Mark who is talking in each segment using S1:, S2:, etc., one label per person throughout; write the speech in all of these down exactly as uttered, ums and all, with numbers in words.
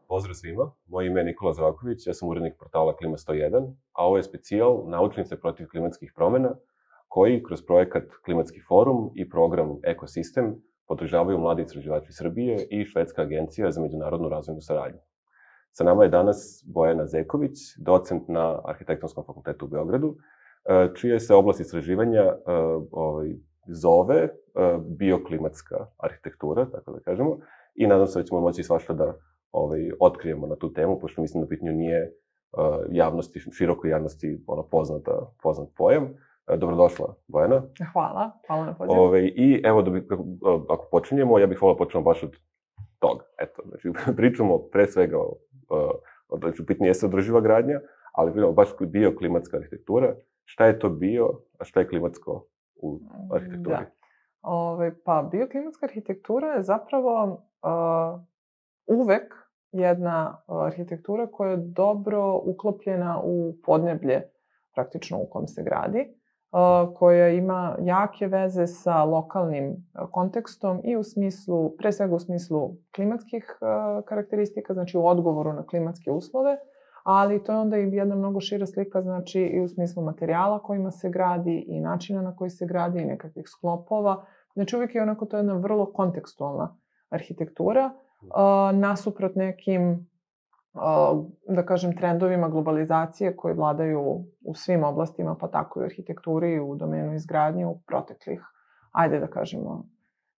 S1: Pozdrav svima, moje ime je Nikola Zdravković, ja sam urednik portala Klima sto jedan, a ovo je specijal Naučnice protiv klimatskih promena, koji kroz projekat Klimatski forum i program Ekosistem podržavaju mladi istraživači Srbije i Švedska agencija za međunarodnu razvojnu saradnju. Sa nama je danas Bojana Zeković, docent na Arhitektonskom fakultetu u Beogradu, čija se oblast istraživanja zove bioklimatska arhitektura, tako da kažemo, i nadam se da ćemo moći svašta da Ovaj, otkrijemo na tu temu, pošto mislim da pitanju nije uh, javnosti, širokoj javnosti ono, poznata, poznat pojam. Uh, dobrodošla, Bojana.
S2: Hvala, hvala na pozivu.
S1: Ovaj, I evo, da bi, ako počinjemo, ja bih volao počnemo baš od toga. Eto, znači, pričamo pre svega o, o, znači, u pitanju jeste održiva gradnja, ali pričamo baš bioklimatska arhitektura. Šta je to bio, a šta je klimatsko u arhitekturi?
S2: Da. Ove, pa, bioklimatska arhitektura je zapravo uh, uvek jedna arhitektura koja je dobro uklopljena u podneblje, praktično u kom se gradi, koja ima jake veze sa lokalnim kontekstom i u smislu, pre svega u smislu klimatskih karakteristika, znači u odgovoru na klimatske uslove, ali to je onda i jedna mnogo šira slika, znači i u smislu materijala kojima se gradi i načina na koji se gradi i nekakvih sklopova. Znači uvijek je onako to jedna vrlo kontekstualna arhitektura, Uh, nasuprot nekim, uh, da kažem, trendovima globalizacije koji vladaju u svim oblastima, pa tako i u arhitekturi i u domenu izgradnje u proteklih, ajde da kažemo,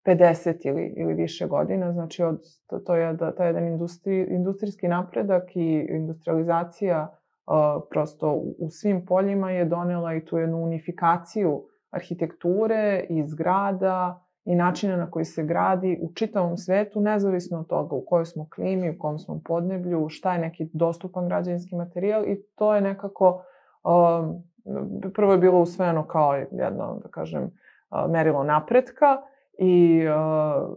S2: pedeset ili, ili više godina. Znači, od, to, to je da, taj jedan industri, industrijski napredak i industrializacija uh, prosto u, u svim poljima je donela i tu jednu unifikaciju arhitekture i zgrada i načina na koji se gradi u čitavom svetu, nezavisno od toga u kojoj smo klimi, u kom smo podneblju, šta je neki dostupan građevinski materijal i to je nekako, um, prvo je bilo usvojeno kao jedno, da kažem, uh, merilo napretka i uh,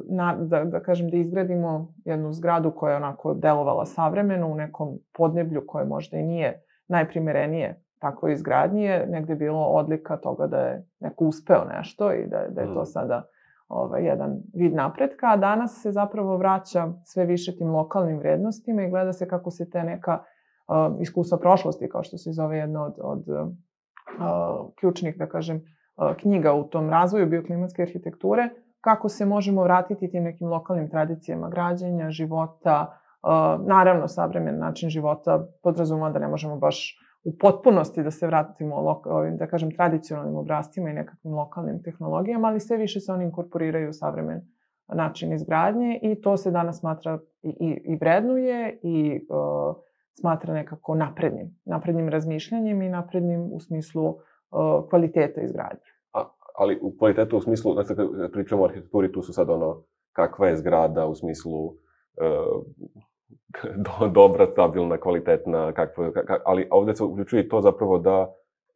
S2: na, da, da kažem da izgradimo jednu zgradu koja je onako delovala savremeno u nekom podneblju koje možda i nije najprimerenije tako izgradnji je negde bilo odlika toga da je neko uspeo nešto i da, da je to sada ovaj, jedan vid napretka, a danas se zapravo vraća sve više tim lokalnim vrednostima i gleda se kako se te neka uh, iskustva prošlosti, kao što se zove jedna od, od uh, ključnih, da kažem, uh, knjiga u tom razvoju bioklimatske arhitekture, kako se možemo vratiti tim nekim lokalnim tradicijama građenja, života. Uh, naravno, savremen način života podrazumeva da ne možemo baš u potpunosti da se vratimo ovim, da kažem, tradicionalnim obrascima i nekakvim lokalnim tehnologijama, ali sve više se oni inkorporiraju u savremen način izgradnje i to se danas smatra i, i, i vrednuje i uh, smatra nekako naprednim, naprednim razmišljanjem i naprednim u smislu uh, kvaliteta izgradnje.
S1: A, ali u kvalitetu u smislu, znači kad pričamo o arhitekturi, tu su sad ono, kakva je zgrada u smislu uh, Do, dobra, stabilna, kvalitetna, kakva, kak, ali ovde se uključuje i to zapravo da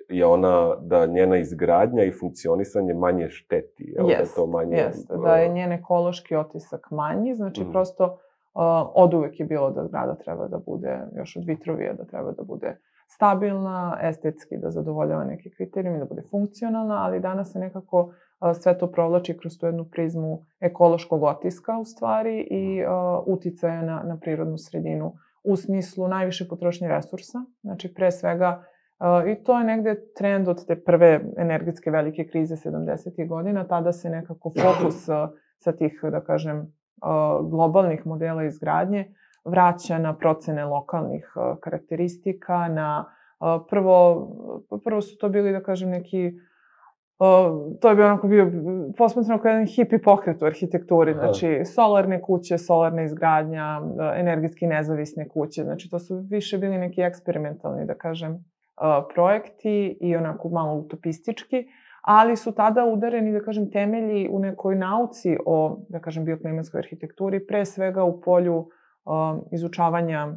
S1: je ona, da njena izgradnja i funkcionisanje manje šteti.
S2: Jeste,
S1: manje...
S2: jeste, da je njen ekološki otisak manji, znači mm. prosto uh, od uvek je bilo da zgrada treba da bude, još od Vitrovija, da treba da bude stabilna, estetski da zadovoljava neke kriterijume, da bude funkcionalna, ali danas se nekako uh, sve to provlači kroz tu jednu prizmu ekološkog otiska u stvari i uh, uticaja na, na prirodnu sredinu u smislu najviše potrošnje resursa, znači pre svega uh, i to je negde trend od te prve energetske velike krize sedamdesetih godina, tada se nekako fokus uh, sa tih, da kažem, uh, globalnih modela izgradnje vraća na procene lokalnih uh, karakteristika, na uh, prvo, prvo su to bili, da kažem, neki, uh, to je bio onako bio posmatrano kao jedan hipi pokret u arhitekturi, znači solarne kuće, solarna izgradnja, uh, energetski nezavisne kuće, znači to su više bili neki eksperimentalni, da kažem, uh, projekti i onako malo utopistički, ali su tada udareni, da kažem, temelji u nekoj nauci o, da kažem, bioklimatskoj arhitekturi, pre svega u polju izučavanja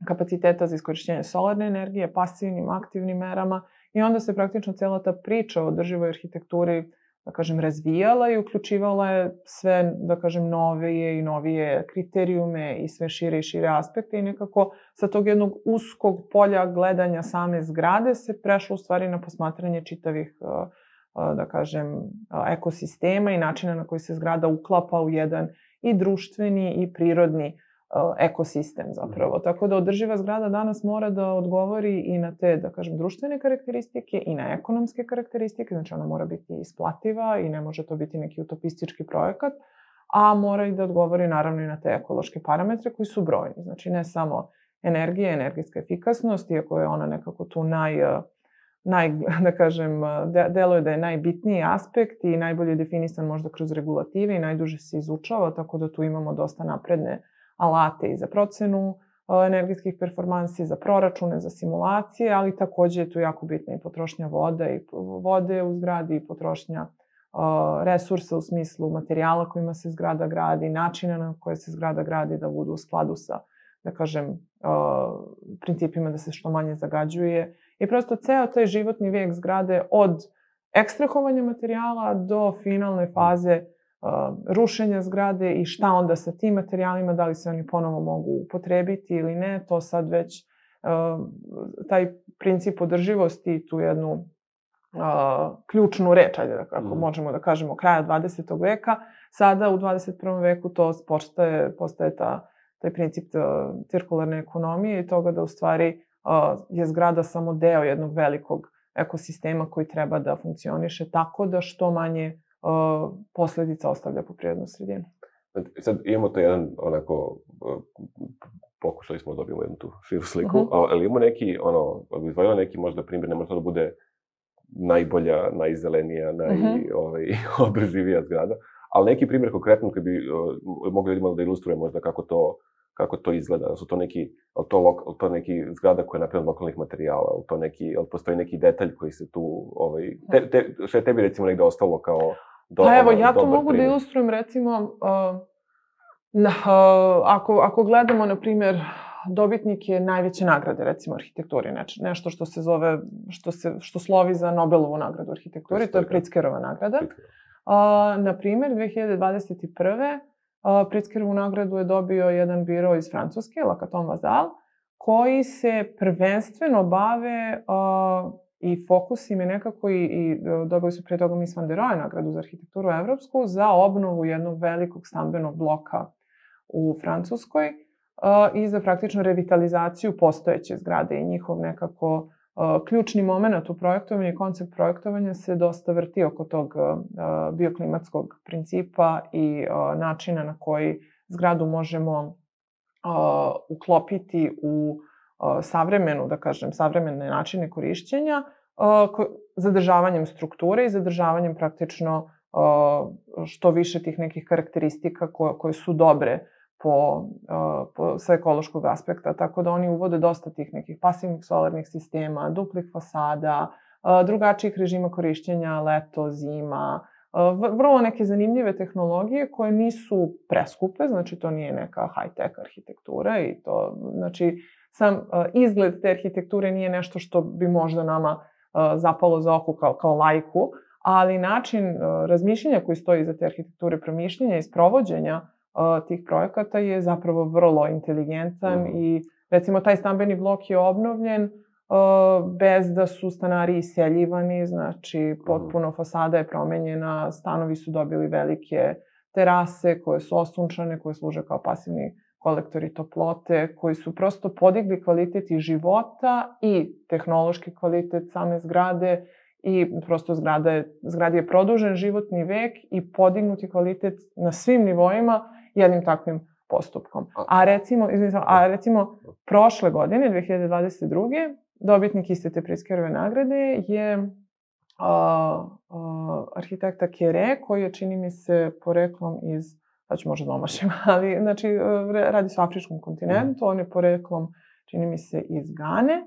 S2: kapaciteta za iskorišćenje solarne energije, pasivnim, aktivnim merama i onda se praktično cela ta priča o održivoj arhitekt,uri da kažem, razvijala i uključivala je sve, da kažem, novije i novije kriterijume i sve šire i šire aspekte i nekako sa tog jednog uskog polja gledanja same zgrade se prešlo u stvari na posmatranje čitavih uh, da kažem, ekosistema i načina na koji se zgrada uklapa u jedan i društveni i prirodni ekosistem zapravo. Tako da održiva zgrada danas mora da odgovori i na te, da kažem, društvene karakteristike i na ekonomske karakteristike, znači ona mora biti isplativa i ne može to biti neki utopistički projekat, a mora i da odgovori naravno i na te ekološke parametre koji su brojni. Znači ne samo energija, energetska efikasnost, iako je ona nekako tu naj, naj da kažem, deluje da je najbitniji aspekt i najbolje definisan možda kroz regulative i najduže se izučava, tako da tu imamo dosta napredne alate i za procenu energetskih performansi, za proračune, za simulacije, ali takođe je tu jako bitna i potrošnja vode i vode u zgradi i potrošnja resursa u smislu materijala kojima se zgrada gradi, načina na koje se zgrada gradi da budu u skladu sa, da kažem, principima da se što manje zagađuje. I prosto ceo taj životni vijek zgrade od ekstrahovanja materijala do finalne faze rušenja zgrade i šta onda sa tim materijalima, da li se oni ponovo mogu upotrebiti ili ne, to sad već taj princip održivosti, tu jednu ključnu reč, ajde da kako možemo da kažemo, kraja dvadesetog veka, sada u dvadeset prvom veku to postaje, postaje ta, taj princip cirkularne ekonomije i toga da u stvari je zgrada samo deo jednog velikog ekosistema koji treba da funkcioniše tako da što manje posledica ostavlja po prirodnu sredinu.
S1: Sad imamo to jedan, onako, pokušali smo da dobijemo jednu tu širu sliku, ali imamo neki, ono, izvojila neki možda primjer, ne može to da bude najbolja, najzelenija, najodrživija zgrada, ali neki primjer konkretno koji bi mogli ljudima da ilustruje možda kako to kako to izgleda, su to neki, ali to, to neki zgrada koja je napravljena od lokalnih materijala, ali to neki, ali postoji neki detalj koji se tu, ovaj, te, te, što je tebi recimo negde ostalo kao do,
S2: pa evo,
S1: ono,
S2: ja to mogu
S1: primjer.
S2: Da ilustrujem recimo, uh, na, uh, ako, ako gledamo, na primjer, dobitnike najveće nagrade, recimo arhitekturi, neč, nešto što se zove, što, se, što slovi za Nobelovu nagradu arhitekturi, to je Pritzkerova nagrada. Uh, na primjer, dve hiljade dvadeset prve Pritzkerovu nagradu je dobio jedan biro iz Francuske, La Caton Vasal, koji se prvenstveno bave uh, i fokus im je nekako i, i dobili su pre toga Mies van der Rohe nagradu za arhitekturu evropsku za obnovu jednog velikog stambenog bloka u Francuskoj uh, i za praktično revitalizaciju postojeće zgrade i njihov nekako uh, ključni moment u projektovanju i koncept projektovanja se dosta vrti oko tog uh, bioklimatskog principa i uh, načina na koji zgradu možemo uh, uklopiti u uh, savremenu, da kažem, savremene načine korišćenja, uh, ko, zadržavanjem strukture i zadržavanjem praktično uh, što više tih nekih karakteristika koje, koje su dobre po, uh, po, sa ekološkog aspekta. Tako da oni uvode dosta tih nekih pasivnih solarnih sistema, duplih fasada, uh, drugačijih režima korišćenja, leto, zima, uh, vrlo neke zanimljive tehnologije koje nisu preskupe, znači to nije neka high-tech arhitektura i to, znači, sam uh, izgled te arhitekture nije nešto što bi možda nama uh, zapalo za oko kao, kao laiku, ali način uh, razmišljanja koji stoji iza te arhitekture, promišljenja i sprovođenja uh, tih projekata je zapravo vrlo inteligentan mm. i recimo taj stambeni blok je obnovljen uh, bez da su stanari iseljivani, znači potpuno fasada je promenjena, stanovi su dobili velike terase koje su osunčane, koje služe kao pasivni kolektori toplote, koji su prosto podigli kvalitet i života i tehnološki kvalitet same zgrade i prosto zgrada je, zgradi je produžen životni vek i podignuti kvalitet na svim nivoima jednim takvim postupkom. A recimo, izvinite, a recimo prošle godine, dve hiljade dvadeset druge dobitnik iste te Pritzkerove nagrade je uh, uh, arhitekta Kere, koji je, čini mi se, poreklom iz, sad ću možda da omašim, ali znači, radi se o afričkom kontinentu, on je poreklom, čini mi se, iz Gane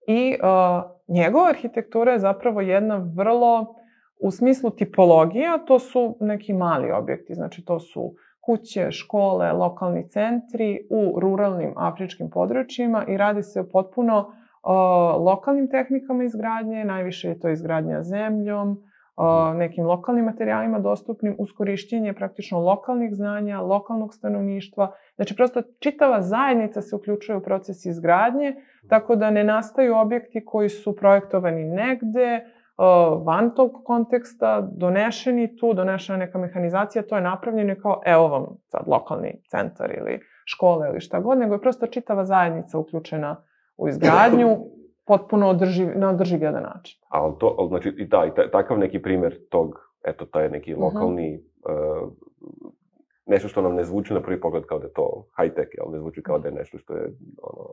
S2: i uh, njegova arhitektura je zapravo jedna vrlo, u smislu tipologija, to su neki mali objekti, znači to su kuće, škole, lokalni centri u ruralnim afričkim područjima i radi se o potpuno uh, lokalnim tehnikama izgradnje, najviše je to izgradnja zemljom, uh, nekim lokalnim materijalima dostupnim uz korišćenje praktično lokalnih znanja, lokalnog stanovništva. Znači, prosto čitava zajednica se uključuje u proces izgradnje, tako da ne nastaju objekti koji su projektovani negde, van tog konteksta, donešeni tu, donešena neka mehanizacija, to je napravljeno i kao, evo vam sad lokalni centar ili škole ili šta god, nego je prosto čitava zajednica uključena u izgradnju, potpuno održiv, na održiv jedan način.
S1: Ali to, ali, znači, i da, i taj, takav neki primer tog, eto, taj neki lokalni, uh-huh. uh, nešto što nam ne zvuči na prvi pogled kao da je to high-tech, ali ne zvuči kao da je nešto što je ono,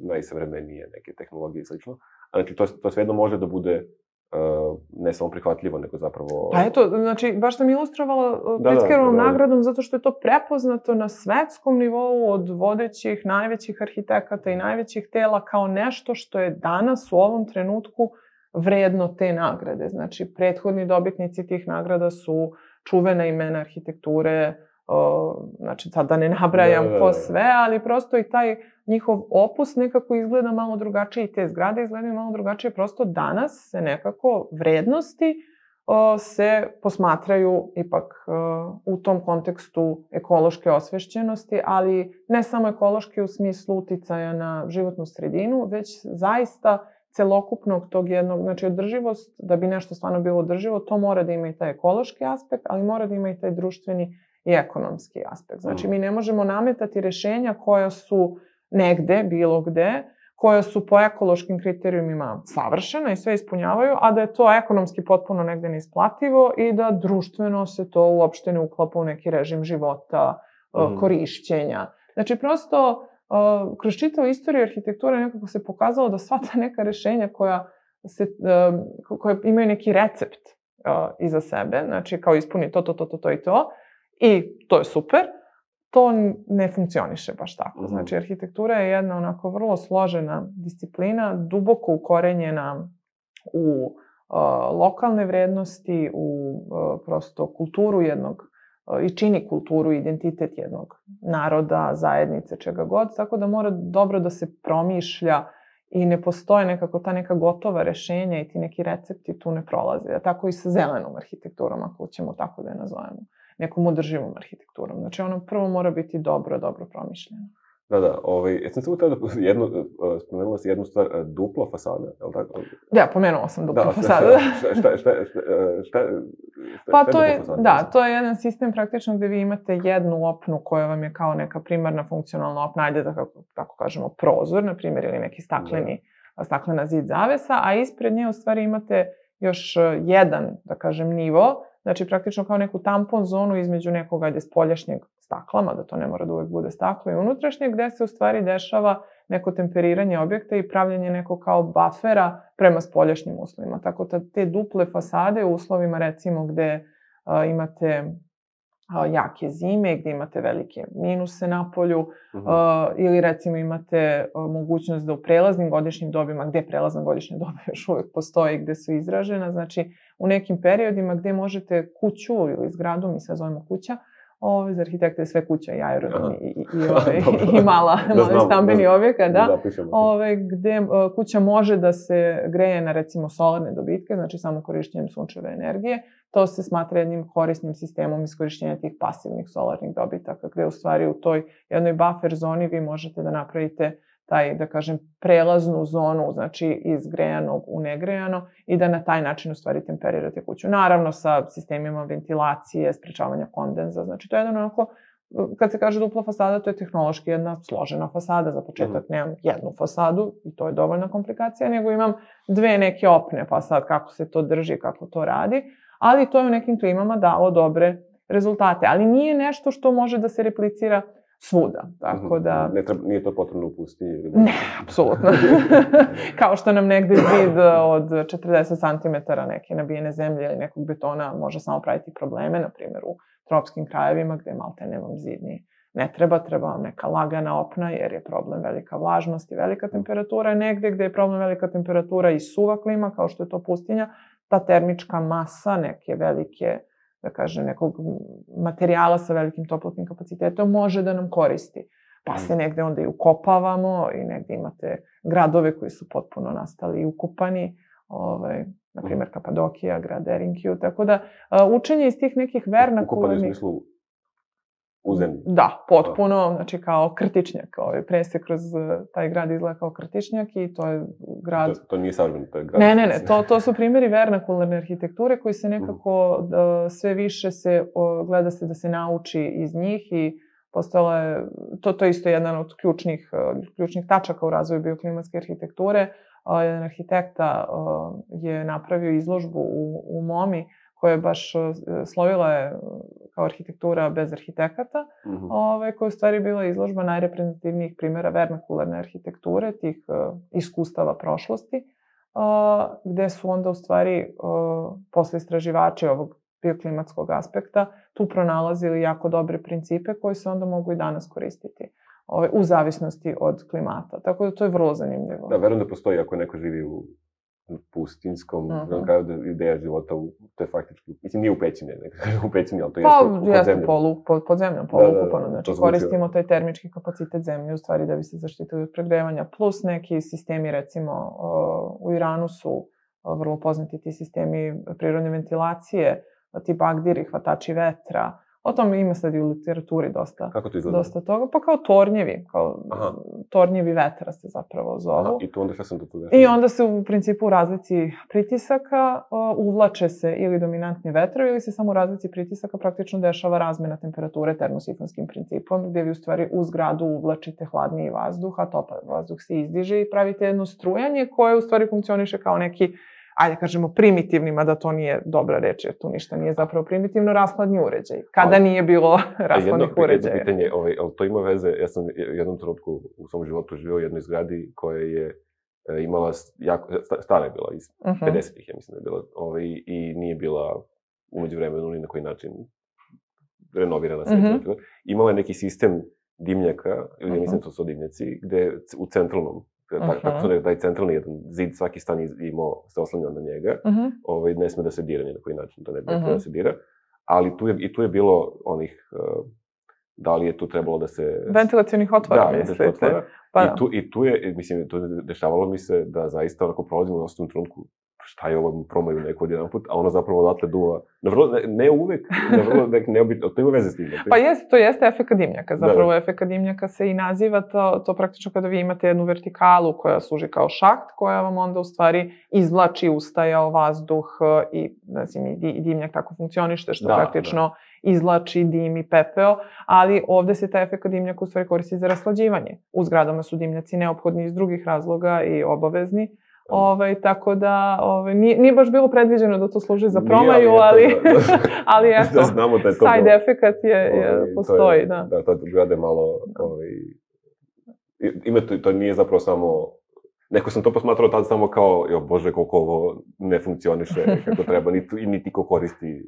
S1: najsavremenije, neke tehnologije i slično. A znači, to, to svejedno može da bude Uh, ne samo prihvatljivo, nego zapravo...
S2: Pa eto, znači, baš sam ilustrovala Pritzkerovom da, da, nagradom zato što je to prepoznato na svetskom nivou od vodećih, najvećih arhitekata i najvećih tela kao nešto što je danas u ovom trenutku vredno te nagrade. Znači, prethodni dobitnici tih nagrada su čuvena imena arhitekture, uh, znači, sad da ne nabrajam da, da, da. ko sve, ali prosto i taj njihov opus nekako izgleda malo drugačije i te zgrade izgledaju malo drugačije. Prosto danas se nekako vrednosti o, se posmatraju ipak o, u tom kontekstu ekološke osvešćenosti, ali ne samo ekološke u smislu uticaja na životnu sredinu, već zaista celokupnog tog jednog, znači održivost, da bi nešto stvarno bilo održivo, to mora da ima i taj ekološki aspekt, ali mora da ima i taj društveni i ekonomski aspekt. Znači mi ne možemo nametati rešenja koja su negde, bilo gde, koja su po ekološkim kriterijumima savršena i sve ispunjavaju, a da je to ekonomski potpuno negde neisplativo i da društveno se to uopšte ne uklapa u neki režim života, mm. korišćenja. Znači, prosto, kroz čitavu istoriju arhitekture nekako se pokazalo da sva ta neka rešenja koja, se, koja imaju neki recept iza sebe, znači kao ispuni to, to, to, to, to i to, i to je super, to ne funkcioniše baš tako. Znači, arhitektura je jedna onako vrlo složena disciplina, duboko ukorenjena u uh, lokalne vrednosti, u uh, prosto kulturu jednog, uh, i čini kulturu, identitet jednog naroda, zajednice, čega god, tako da mora dobro da se promišlja i ne postoje nekako ta neka gotova rešenja i ti neki recepti tu ne prolaze. Tako i sa zelenom arhitekturom, ako ćemo tako da je nazovemo, nekom održivom arhitekturom. Znači, ono prvo mora biti dobro, dobro promišljeno.
S1: Da, da. Ovaj, ja sam samo tada jednu, spomenula si jednu stvar, dupla fasada, je li tako?
S2: Da, pomenula sam dupla
S1: da,
S2: fasada.
S1: Šta, šta, šta, šta, šta,
S2: pa to je, da, to je jedan sistem praktično gde vi imate jednu opnu koja vam je kao neka primarna funkcionalna opna, ajde da kako, kako kažemo, prozor, na primjer, ili neki stakleni, da. staklena zid zavesa, a ispred nje u stvari imate još jedan, da kažem, nivo, znači praktično kao neku tampon zonu između nekog, ajde, spoljašnjeg stakla, mada to ne mora da uvek bude staklo, i unutrašnjeg, gde se u stvari dešava neko temperiranje objekta i pravljanje nekog kao bafera prema spoljašnjim uslovima. Tako da te duple fasade u uslovima, recimo, gde a, imate a, jake zime, gde imate velike minuse na polju, uh-huh. a, ili recimo imate a, mogućnost da u prelaznim godišnjim dobima, gde prelazna godišnja doba još uvek postoji, gde su izražena, znači u nekim periodima gde možete kuću ili zgradu, mi sve zovemo kuća, Ove, za arhitekte je sve kuća i aerodrom i, i, i, ove, i mala, da mali stambeni da, objekat, da, ove, gde uh, kuća može da se greje na, recimo, solarne dobitke, znači samo korišćenjem sunčeve energije. To se smatra jednim korisnim sistemom iskorišćenja tih pasivnih solarnih dobitaka, gde u stvari u toj jednoj buffer zoni vi možete da napravite taj, da kažem, prelaznu zonu, znači iz grejanog u negrejano, i da na taj način u stvari temperirate kuću. Naravno sa sistemima ventilacije, sprečavanja kondenza, znači to je jedan onako, kad se kaže dupla fasada, to je tehnološki jedna složena fasada, za početak nemam jednu fasadu i to je dovoljna komplikacija, nego imam dve neke opne, pa sad kako se to drži, kako to radi, ali to je u nekim klimama dalo dobre rezultate, ali nije nešto što može da se replicira svuda, tako da...
S1: Ne treba, nije to potrebno u pustinji?
S2: Ne, apsolutno. Kao što nam negde zid od četrdeset centimetara neke nabijene zemlje ili nekog betona može samo praviti probleme, na primjer u tropskim krajevima gde malte ne vam zid ni ne treba, treba vam neka lagana opna jer je problem velika vlažnost i velika temperatura. Negde gde je problem velika temperatura i suva klima, kao što je to pustinja, ta termička masa neke velike, da kaže, nekog materijala sa velikim toplotnim kapacitetom može da nam koristi. Pa se negde onda i ukopavamo i negde imate gradove koji su potpuno nastali i ukopani, ovaj, na primjer Kapadokija, grad Derinkiju, tako da učenje iz tih nekih vernakularnih...
S1: Ukopani u smislu U zemlji?
S2: Da, potpuno, znači kao krtičnjak. Ovaj, pre se kroz taj grad izgleda kao krtičnjak i to je grad...
S1: To, to nije savremeno, to je grad.
S2: Ne, ne, ne, to, to su primjeri vernakularne arhitekture koji se nekako uh, sve više se, uh, gleda se da se nauči iz njih i postala je, to, to je isto jedan od ključnih, uh, ključnih tačaka u razvoju bioklimatske arhitekture. Uh, jedan arhitekta uh, je napravio izložbu u, u Momi koja je baš uh, slovila je kao arhitektura bez arhitekata, mm-hmm. ove, koja je u stvari bila izložba najreprezentativnijih primjera vernakularne arhitekture, tih uh, iskustava prošlosti, uh, gde su onda u stvari uh, posle istraživači ovog bioklimatskog aspekta tu pronalazili jako dobre principe koji se onda mogu i danas koristiti. Ove, u zavisnosti od klimata. Tako da to je vrlo zanimljivo.
S1: Da, verujem da postoji ako neko živi u pustinskom, uh-huh. znam kao da ideja života, u, to je faktički, mislim nije u pećini, nekako u pećini, ali to jeste
S2: pa,
S1: pod
S2: jeste
S1: zemljom.
S2: Polu, pod, pod zemljom, polukupano.
S1: Da, da, da,
S2: znači koristimo taj termički kapacitet zemlje u stvari da bi se zaštitili od pregrevanja. Plus neki sistemi, recimo u Iranu su vrlo poznati ti sistemi prirodne ventilacije, ti bagdiri, hvatači vetra. O tome ima sad i u literaturi dosta,
S1: Kako to izgleda?
S2: dosta toga. Pa kao tornjevi, kao Aha. tornjevi vetra se zapravo zovu. Aha,
S1: i tu onda šta sam to tu dešava?
S2: I onda se u principu u razlici pritisaka uh, uvlače se ili dominantni vetrovi ili se samo u razlici pritisaka praktično dešava razmena temperature termosifonskim principom, gde vi u stvari u zgradu uvlačite hladniji vazduh, a topli vazduh se izdiže i pravite jedno strujanje koje u stvari funkcioniše kao neki, ajde kažemo, primitivnima, da to nije dobra reč, jer tu ništa nije zapravo primitivno, rashladni uređaj. Kada ali, nije bilo rashladnih
S1: jedno,
S2: uređaja.
S1: Jedno pitanje, ovaj, ali to ima veze, ja sam u jednom trenutku u svom životu živio u jednoj zgradi koja je e, imala, jako, stara je bila, iz uh-huh. pedesetih, ja mislim da je bila, ovaj, i nije bila umeđu vremenu ni na koji način renovirana sve. Uh-huh. Imala je neki sistem dimnjaka, ili uh-huh. ja mislim da to su dimnjaci, gde u centralnom, Uh-huh. tako su da taj centralni jedan zid, svaki stan imao, se oslanjao na njega, uh-huh. ovaj, ne sme da se dira ni na koji način, to ne bi uh-huh. da se dira, ali tu je, i tu je bilo onih, uh, da li je tu trebalo da se...
S2: Ventilacionih otvora,
S1: da,
S2: mislite?
S1: Otvora.
S2: Pa,
S1: I, tu, I tu je, mislim, tu dešavalo mi se da zaista onako prolazimo u osnovnom trenutku, šta je ovo, promaju neko od jedan put, a ono zapravo odatle duva. Na vrlo, ne, ne uvek, na vrlo ne, neobitno, to ima veze s tim. Ne?
S2: Pa jeste, to jeste efekat dimnjaka. Zapravo da, da. efekat dimnjaka se i naziva to, to praktično kada vi imate jednu vertikalu koja služi kao šaht, koja vam onda u stvari izvlači ustajao vazduh i, znači, i dimnjak tako funkcionište, što da, praktično da. izvlači dim i pepeo, ali ovde se taj efekat dimnjaka u stvari koristi za raslađivanje. U zgradama su dimnjaci neophodni iz drugih razloga i obavezni. Ovaj, tako da ovaj, nije, nije baš bilo predviđeno da to služi za promaju, nije, ali, ali, da, da, ali eto, da znamo da je to side efekat je, je, ovaj, postoji. Je, da,
S1: da, to grade malo, ovaj, ima to, to nije zapravo samo, neko sam to posmatrao tad samo kao, jo bože, koliko ovo ne funkcioniše kako treba, niti, niti ko koristi,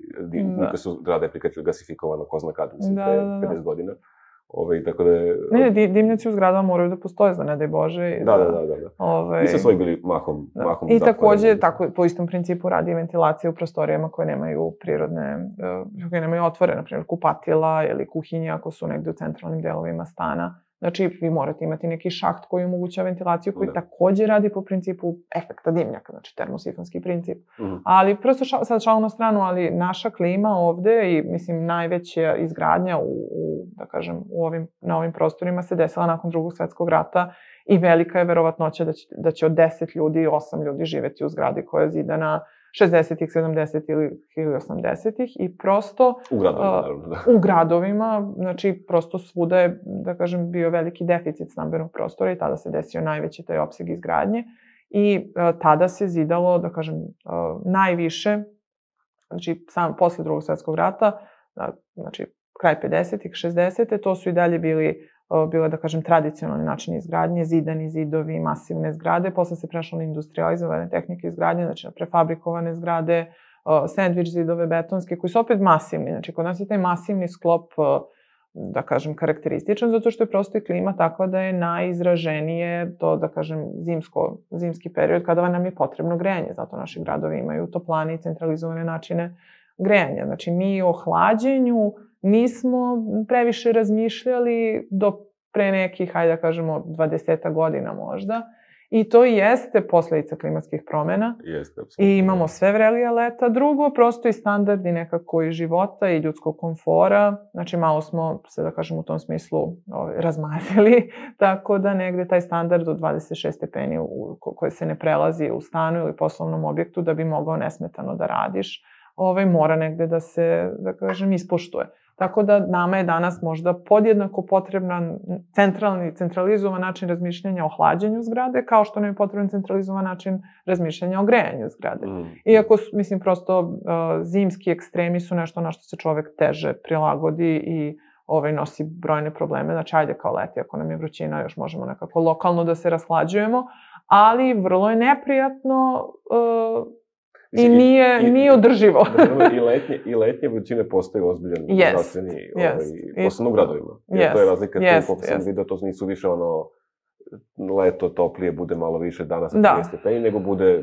S1: niko su grade gasifikovano, ko zna kad, mislim,
S2: da,
S1: pre
S2: da, da.
S1: pedeset godina. Ove, tako da je...
S2: Ne, dimnjaci u zgradama moraju da postoje, za ne daj Bože.
S1: Da, da, da, da. da. Ove... Mi smo svoji bili mahom, da. mahom
S2: I takođe, tako, po istom principu radi ventilacija u prostorijama koje nemaju prirodne, koje nemaju otvore, na primjer kupatila ili kuhinje ako su negde u centralnim delovima stana. Znači, vi morate imati neki šaht koji omogućava ventilaciju, koji da. takođe radi po principu efekta dimnjaka, znači termosifonski princip. Uh-huh. Ali, prosto ša, sad šalu na stranu, ali naša klima ovde i, mislim, najveća izgradnja u, u da kažem, u ovim, na ovim prostorima se desila nakon Drugog svetskog rata i velika je verovatnoća da će, da će od deset ljudi, osam ljudi živeti u zgradi koja je zidana šezdesetih, sedamdesetih ili osamdesetih i prosto...
S1: U gradovima, naravno, da.
S2: U gradovima, znači, prosto svuda je, da kažem, bio veliki deficit stambenog prostora i tada se desio najveći taj opseg izgradnje i uh, tada se zidalo, da kažem, uh, najviše, znači, sam posle Drugog svetskog rata, uh, znači, kraj pedesetih, šezdesetih, to su i dalje bili bile, da kažem, tradicionalni načini izgradnje, zidani zidovi, masivne zgrade, posle se prešlo na industrializovane tehnike izgradnje, znači na prefabrikovane zgrade, sandvič zidove betonske, koji su opet masivni. Znači, kod nas je taj masivni sklop, da kažem, karakterističan, zato što je prosto i klima takva da je najizraženije to, da kažem, zimsko, zimski period, kada nam je potrebno grejanje. Zato naši gradovi imaju toplane i centralizovane načine grejanja. Znači, mi o hlađenju nismo previše razmišljali do pre nekih, hajde da kažemo, dvadesetak godina možda. I to jeste posledica klimatskih promjena.
S1: Jeste, apsolutno.
S2: I imamo sve vrelija leta. Drugo, prosto i standardi nekako i života i ljudskog komfora. Znači, malo smo se, da kažem, u tom smislu ovaj, razmazili. Tako da negde taj standard od dvadeset šest stepeni u, koji se ne prelazi u stanu ili poslovnom objektu da bi mogao nesmetano da radiš, ovaj, mora negde da se, da kažem, ispoštuje. Tako da nama je danas možda podjednako potreban centralni, centralizovan način razmišljanja o hlađenju zgrade, kao što nam je potreban centralizovan način razmišljanja o grejanju zgrade. Mm. Iako, mislim, prosto uh, zimski ekstremi su nešto na što se čovek teže prilagodi i ovaj, nosi brojne probleme. Znači, ajde kao leti, ako nam je vrućina, još možemo nekako lokalno da se rashlađujemo, ali vrlo je neprijatno uh, I nije, I, nije održivo.
S1: I letnje, i letnje vrućine postaju ozbiljan yes, zdravstveni, yes, ovaj, posebno u gradovima. Jer yes, to je razlika, yes, tu, koliko yes. sam vidio, to nisu više ono, leto toplije, bude malo više danas sa trideset stepeni, nego bude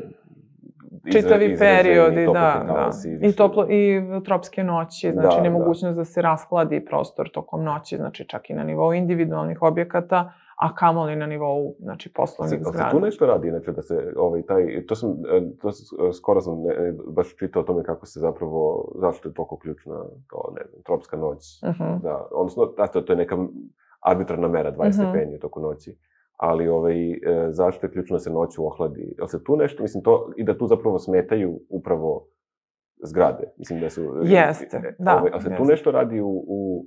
S1: izra,
S2: čitavi periodi, da, da. I, toplo, i tropske noći, znači da, nemogućnost da. da se raskladi prostor tokom noći, znači čak i na nivou individualnih objekata, a kamoli na nivou, znači, poslovnih zgrada.
S1: Ali se tu nešto radi, znači, da se, ovaj, taj, to sam, to skoro sam ne, baš čitao o tome kako se zapravo, zašto je toliko ključna, to, ne znam, tropska noć, uh-huh. da, odnosno, da, to, to je neka arbitrarna mera, dvadeset uh-huh. stepeni u toku noći, ali, ovaj, zašto je ključno da se noću ohladi? Jel se tu nešto, mislim, to, i da tu zapravo smetaju upravo zgrade, mislim da su...
S2: Jeste, da.
S1: Ovaj, ali se tu nešto radi u, u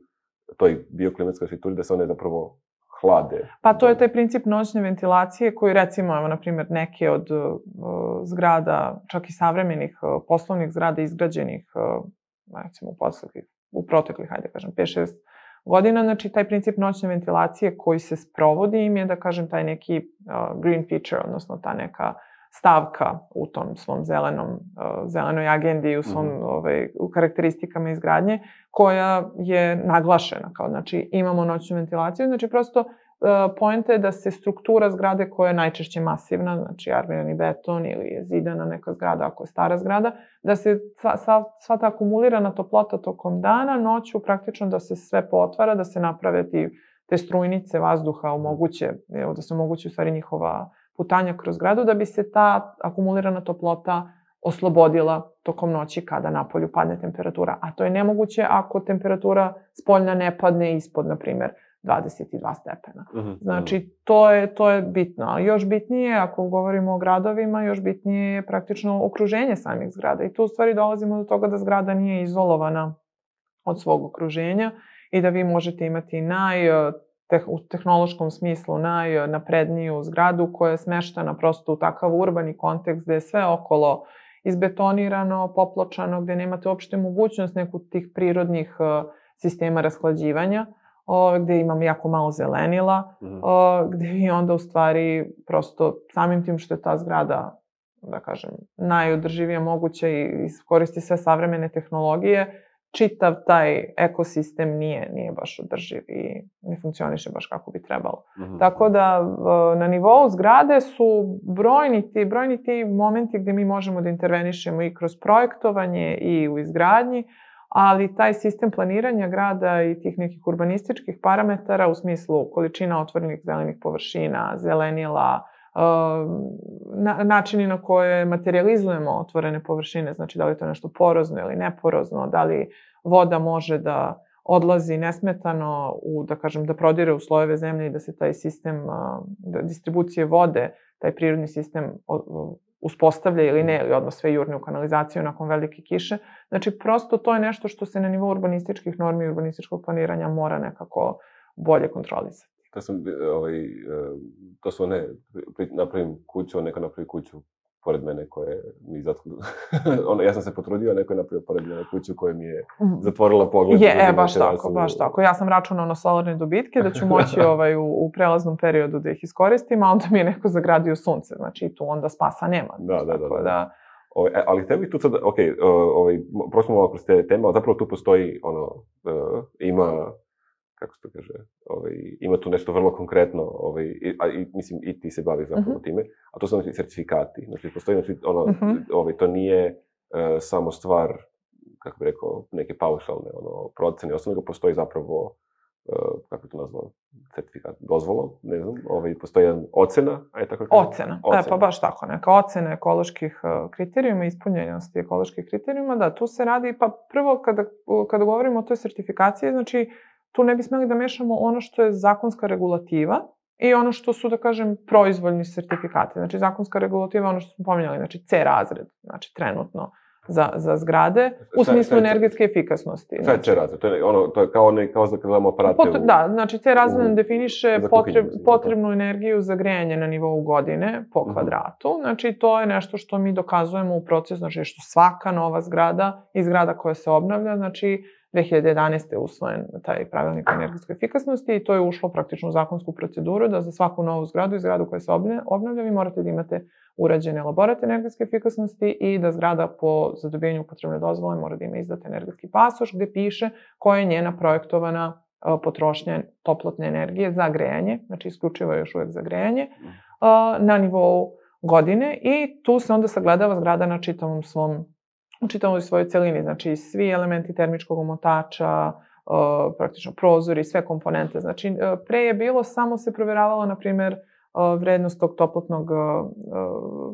S1: toj bioklimatskoj arhitekturi, da se one zapravo hlade.
S2: Pa to je taj princip noćne ventilacije koji, recimo, evo, na primjer, neke od uh, zgrada, čak i savremenih uh, poslovnih zgrada izgrađenih, uh, recimo, u, poslednjih, u proteklih, hajde kažem, pet šest godina, znači taj princip noćne ventilacije koji se sprovodi im je, da kažem, taj neki uh, green feature, odnosno ta neka stavka u tom svom zelenom, uh, zelenoj agendi i u svom mm-hmm. ovaj, u karakteristikama izgradnje, koja je naglašena. Kao, znači, imamo noćnu ventilaciju, znači prosto uh, poenta je da se struktura zgrade koja je najčešće masivna, znači armirani beton ili je zidana neka zgrada ako je stara zgrada, da se sva, sva, sva ta akumulirana toplota tokom dana, noću praktično da se sve potvara, da se naprave ti, te strujnice vazduha omoguće, evo, da se omogući u stvari njihova putanja kroz zgradu, da bi se ta akumulirana toplota oslobodila tokom noći kada napolju padne temperatura. A to je nemoguće ako temperatura spoljna ne padne ispod, na primjer, dvadeset dva stepena. Uh-huh. Znači, to je, to je bitno. A još bitnije, ako govorimo o gradovima, još bitnije je praktično okruženje samih zgrada. I tu u stvari dolazimo do toga da zgrada nije izolovana od svog okruženja i da vi možete imati naj... u tehnološkom smislu najnapredniju zgradu koja je smeštena prosto u takav urbani kontekst gde je sve okolo izbetonirano, popločano, gde nemate uopšte mogućnost nekog tih prirodnih sistema rashlađivanja, gde imam jako malo zelenila, mm. gde vi onda u stvari prosto samim tim što je ta zgrada, da kažem, najodrživija moguća i koristi sve savremene tehnologije, čitav taj ekosistem nije, nije baš održiv i ne funkcioniše baš kako bi trebalo. Mm-hmm. Tako da na nivou zgrade su brojni ti, brojni ti momenti gde mi možemo da intervenišemo i kroz projektovanje i u izgradnji, ali taj sistem planiranja grada i tih nekih urbanističkih parametara u smislu količina otvorenih zelenih površina, zelenila, Na, načini na koje materializujemo otvorene površine, znači da li je to nešto porozno ili neporozno, da li voda može da odlazi nesmetano, u, da kažem, da prodire u slojeve zemlje i da se taj sistem da distribucije vode, taj prirodni sistem uspostavlja ili ne, ili odmah sve jurne u kanalizaciju nakon velike kiše. Znači, prosto to je nešto što se na nivou urbanističkih normi i urbanističkog planiranja mora nekako bolje kontrolisati.
S1: To sam, ovaj, to su one, napravim kuću, neko napravi kuću pored mene koje mi zatvorio. ono, ja sam se potrudio, neko je napravio pored mene kuću koja mi je zatvorila pogled.
S2: Je, e, baš tako, baš tako. Ja sam računao na solarne dobitke da ću moći ovaj, u, u prelaznom periodu da ih iskoristim, a onda mi je neko zagradio sunce, znači tu onda spasa nema.
S1: Da, da, da. da. da Ove, ali htio bih tu sad, ok, ovaj, prošlo malo kroz te teme, ali zapravo tu postoji, ono, uh, ima, kako se to kaže, ovaj, ima tu nešto vrlo konkretno, ovaj, a i, mislim, i ti se baviš zapravo uh-huh. time, a to su znači certifikati. Znači, postoji, znači, ono, uh-huh. ovaj, to nije uh, samo stvar, kako bih rekao, neke paušalne, ono, procene, osim nego postoji zapravo kako je to nazvao, certifikat, dozvolom, ne znam, ovaj, postoji jedan ocena, aj tako kažem?
S2: Ocena, ocena. E, pa baš tako, neka ocena ekoloških kriterijuma, ispunjenosti ekoloških kriterijuma, da, tu se radi, pa prvo kada, kada govorimo o toj sertifikaciji, znači, tu ne bi smeli da mešamo ono što je zakonska regulativa i ono što su, da kažem, proizvoljni sertifikati. Znači, zakonska regulativa je ono što smo pominjali, znači C razred, znači, trenutno, za, za zgrade, u smislu energetske efikasnosti.
S1: Šta je C razred? To je, ono, to je kao, ne, kao da gledamo aparate
S2: Pot,
S1: u...
S2: Da, znači C razred
S1: u,
S2: definiše potreb, potrebnu energiju za grejanje na nivou godine po kvadratu. Uh-huh. Znači, to je nešto što mi dokazujemo u procesu, znači što svaka nova zgrada i zgrada koja se obnavlja, znači dve hiljade jedanaeste je usvojen taj pravilnik o energetskoj efikasnosti i to je ušlo praktično u zakonsku proceduru da za svaku novu zgradu i zgradu koja se obnavlja vi morate da imate urađene elaborat energetske efikasnosti i da zgrada po zadobijenju upotrebne dozvole mora da ima izdat energetski pasoš gde piše koja je njena projektovana potrošnja toplotne energije za grejanje, znači isključivo je još uvek za grejanje, na nivou godine i tu se onda sagledava zgrada na čitavom svom u čitavoj svojoj celini, znači svi elementi termičkog omotača, praktično prozori, sve komponente. Znači, pre je bilo, samo se provjeravalo, na primer, vrednost tog toplotnog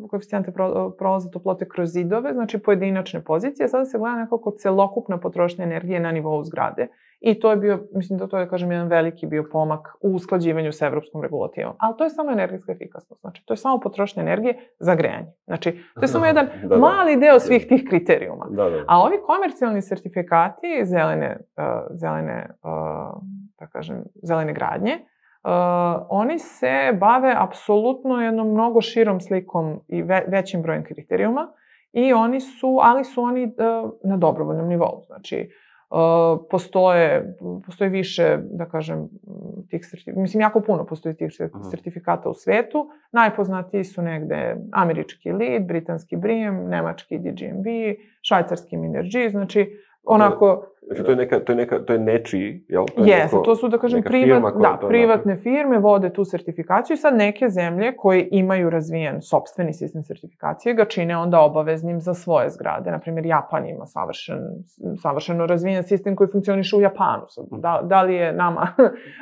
S2: koeficijenta prolaza toplote kroz zidove, znači pojedinačne pozicije. Sada se gleda nekako celokupna potrošnja energije na nivou zgrade. I to je bio, mislim da to je, kažem, jedan veliki bio pomak u usklađivanju sa evropskom regulativom. Ali to je samo energetska efikasnost. Znači, to je samo potrošnja energije za grejanje. Znači, to je samo jedan da, da, mali deo svih tih kriterijuma.
S1: Da, da.
S2: A ovi komercijalni sertifikati zelene, uh, zelene, uh, da kažem, zelene gradnje, Uh, oni se bave apsolutno jednom mnogo širom slikom i ve, većim brojem kriterijuma i oni su, ali su oni uh, na dobrovoljnom nivou. Znači, uh, postoje, postoje više, da kažem, tih sertifikata, mislim, jako puno postoji tih sertifikata u svetu. Najpoznatiji su negde američki L E E D, britanski B R I M, nemački D G M B, švajcarski Minergie, znači, onako...
S1: Znači, to je, neka, to je, neka, to je nečiji, jel?
S2: Jeste, to su, da kažem, privat, da, privatne firme vode tu sertifikaciju i sad neke zemlje koje imaju razvijen sopstveni sistem sertifikacije ga čine onda obaveznim za svoje zgrade. Naprimjer, Japan ima savršen, savršeno razvijen sistem koji funkcioniše u Japanu. Da, da li je nama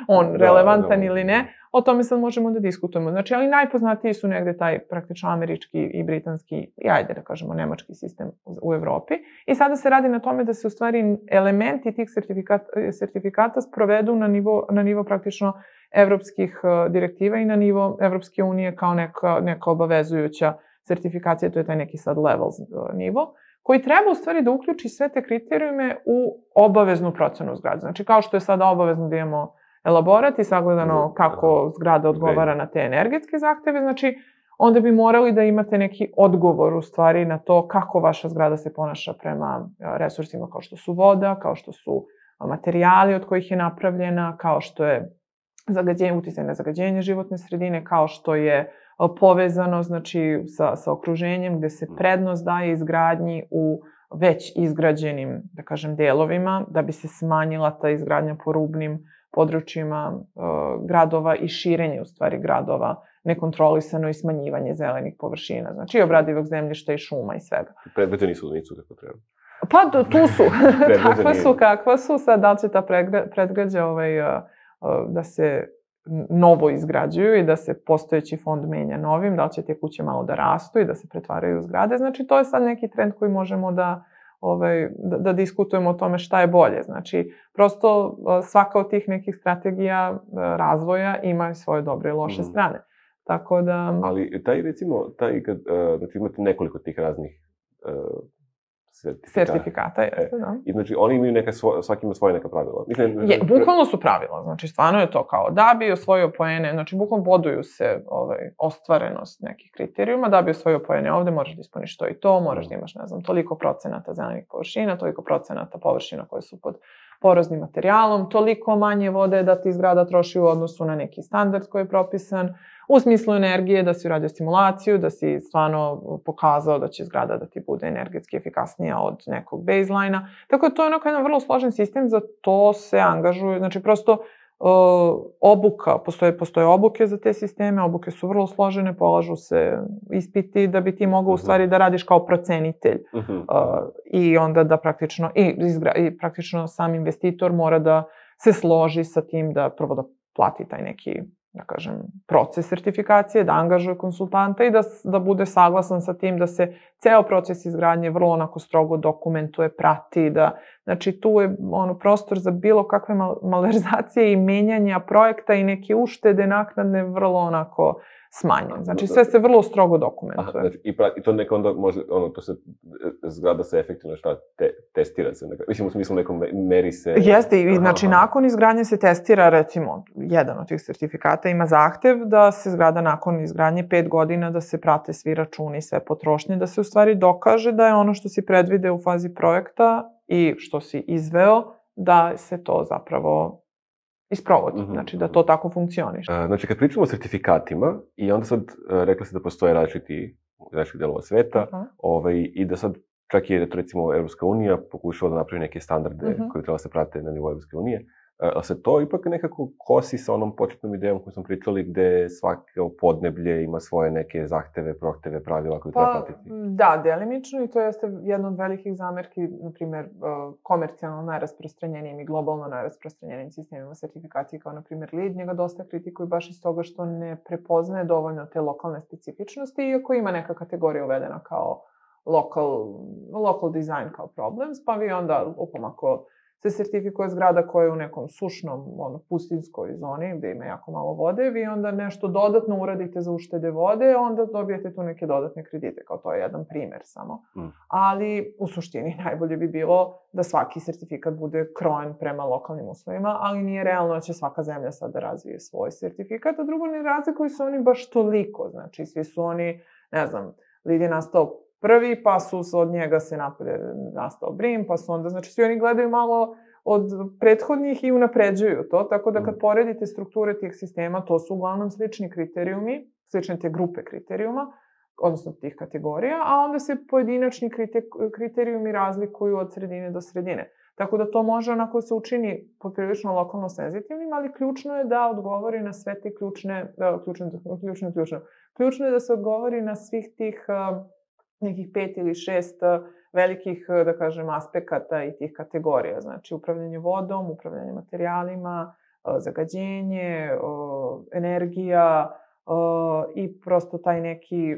S2: on relevantan da, da, ili ne, o tome sad možemo da diskutujemo. Znači, ali najpoznatiji su negde taj praktično američki i britanski, i ajde da kažemo nemački sistem u Evropi. I sada se radi na tome da se u stvari elementi tih sertifikata, sertifikata sprovedu na nivo, na nivo praktično evropskih direktiva i na nivo Evropske unije kao neka, neka obavezujuća sertifikacija, to je taj neki sad levels nivo, koji treba u stvari da uključi sve te kriterijume u obaveznu procenu zgrade. Znači, kao što je sada obavezno da imamo elaborat i sagledano kako zgrada odgovara na te energetske zahteve, znači, onda bi morali da imate neki odgovor u stvari na to kako vaša zgrada se ponaša prema resursima kao što su voda, kao što su materijali od kojih je napravljena, kao što je zagađenje, uticaj na zagađenje životne sredine, kao što je povezano, znači, sa, sa okruženjem gde se prednost daje izgradnji u već izgrađenim, da kažem, delovima, da bi se smanjila ta izgradnja po rubnim područjima uh, gradova i širenje, u stvari, gradova, nekontrolisano i smanjivanje zelenih površina, znači i obradivog zemljišta i šuma i svega.
S1: Predgrađe nisu, nisu kako treba.
S2: Pa, tu su. Takva su, kakva su. Sad, da li će ta predgrađa ovaj, uh, uh, da se novo izgrađuju i da se postojeći fond menja novim, da li će te kuće malo da rastu i da se pretvaraju u zgrade. Znači, to je sad neki trend koji možemo da Ovaj, da, da diskutujemo o tome šta je bolje. Znači, prosto svaka od tih nekih strategija razvoja ima svoje dobre i loše mm. strane. Tako da...
S1: Ali taj, recimo, taj, kad, znači, imate nekoliko tih raznih uh, sertifikata.
S2: Sertifikata, jeste, da.
S1: I znači, oni imaju neka, svo, svaki ima svoje neka pravila. Mislim,
S2: je, bukvalno su pravila. Znači, stvarno je to kao da bi osvojio poene, znači, bukvalno boduju se ovaj, ostvarenost nekih kriterijuma, da bi osvojio poene ovde, moraš da ispuniš to i to, moraš da imaš, ne znam, toliko procenata zelenih površina, toliko procenata površina koje su pod poroznim materijalom, toliko manje vode da ti zgrada troši u odnosu na neki standard koji je propisan, u smislu energije, da si uradio simulaciju, da si stvarno pokazao da će zgrada da ti bude energetski efikasnija od nekog baseline-a. Tako da to je onako jedan vrlo složen sistem, za to se angažuju, znači prosto uh, obuka, postoje, postoje obuke za te sisteme, obuke su vrlo složene, polažu se ispiti da bi ti mogao u stvari da radiš kao procenitelj uh, i onda da praktično, i, izgra, i praktično sam investitor mora da se složi sa tim da prvo da plati taj neki, da kažem, proces sertifikacije, da angažuje konsultanta i da, da bude saglasan sa tim da se ceo proces izgradnje vrlo onako strogo dokumentuje, prati, da, znači tu je ono prostor za bilo kakve mal, malverzacije i menjanja projekta i neke uštede naknadne vrlo onako smanjen. Znači sve se vrlo strogo dokumentuje.
S1: Aha, znači, i, pra, i to neka onda može, ono, to se, zgrada se efektivno šta, te, testira se, neka, mislim u smislu nekom meri se...
S2: Jeste, i znači aha. nakon izgradnje se testira, recimo, jedan od tih sertifikata ima zahtev da se zgrada nakon izgradnje pet godina, da se prate svi računi, sve potrošnje, da se u stvari dokaže da je ono što si predvide u fazi projekta i što si izveo, da se to zapravo isprovodi, mm-hmm. znači da to tako funkcioniše.
S1: Uh, znači, kad pričamo o sertifikatima, i onda sad uh, rekla se da postoje različiti, različiti delova sveta, uh-huh. ovaj, i da sad čak i, recimo, Evropska unija pokušava da napravi neke standarde uh-huh. koji treba se prate na nivou Evropske unije, ali se to ipak nekako kosi sa onom početnom idejom koju smo pričali, gde svako podneblje ima svoje neke zahteve, prohteve, pravila koje
S2: pa,
S1: treba pratiti.
S2: Da, delimično, i to jeste jedna od velikih zamerki, na primjer, komercijalno najrasprostranjenijim i globalno najrasprostranjenijim sistemima sertifikacije, kao na primjer LEED, njega dosta kritikuju baš iz toga što ne prepoznaje dovoljno te lokalne specifičnosti, iako ima neka kategorija uvedena kao local, local design kao problems, pa vi onda, upam, ako se sertifikuje zgrada koja je u nekom sušnom, ono, pustinskoj zoni gde ima jako malo vode, vi onda nešto dodatno uradite za uštede vode, onda dobijete tu neke dodatne kredite, kao to je jedan primer samo. Mm. Ali u suštini najbolje bi bilo da svaki sertifikat bude krojen prema lokalnim uslovima, ali nije realno da će svaka zemlja sad da razvije svoj sertifikat, a drugo ne razlikuju se oni baš toliko, znači svi su oni, ne znam, LEED je nastao prvi, pa su od njega se napred nastao BREEAM, pa su onda, znači svi oni gledaju malo od prethodnih i unapređuju to, tako da kad poredite strukture tih sistema, to su uglavnom slični kriterijumi, slične te grupe kriterijuma, odnosno tih kategorija, a onda se pojedinačni kriterijumi razlikuju od sredine do sredine. Tako da to može onako se učini poprilično lokalno senzitivnim, ali ključno je da odgovori na sve te ključne, ključne, ključne, ključne. Ključno je da se odgovori na svih tih nekih pet ili šest velikih, da kažem, aspekata i tih kategorija. Znači, upravljanje vodom, upravljanje materijalima, zagađenje, energija i prosto taj neki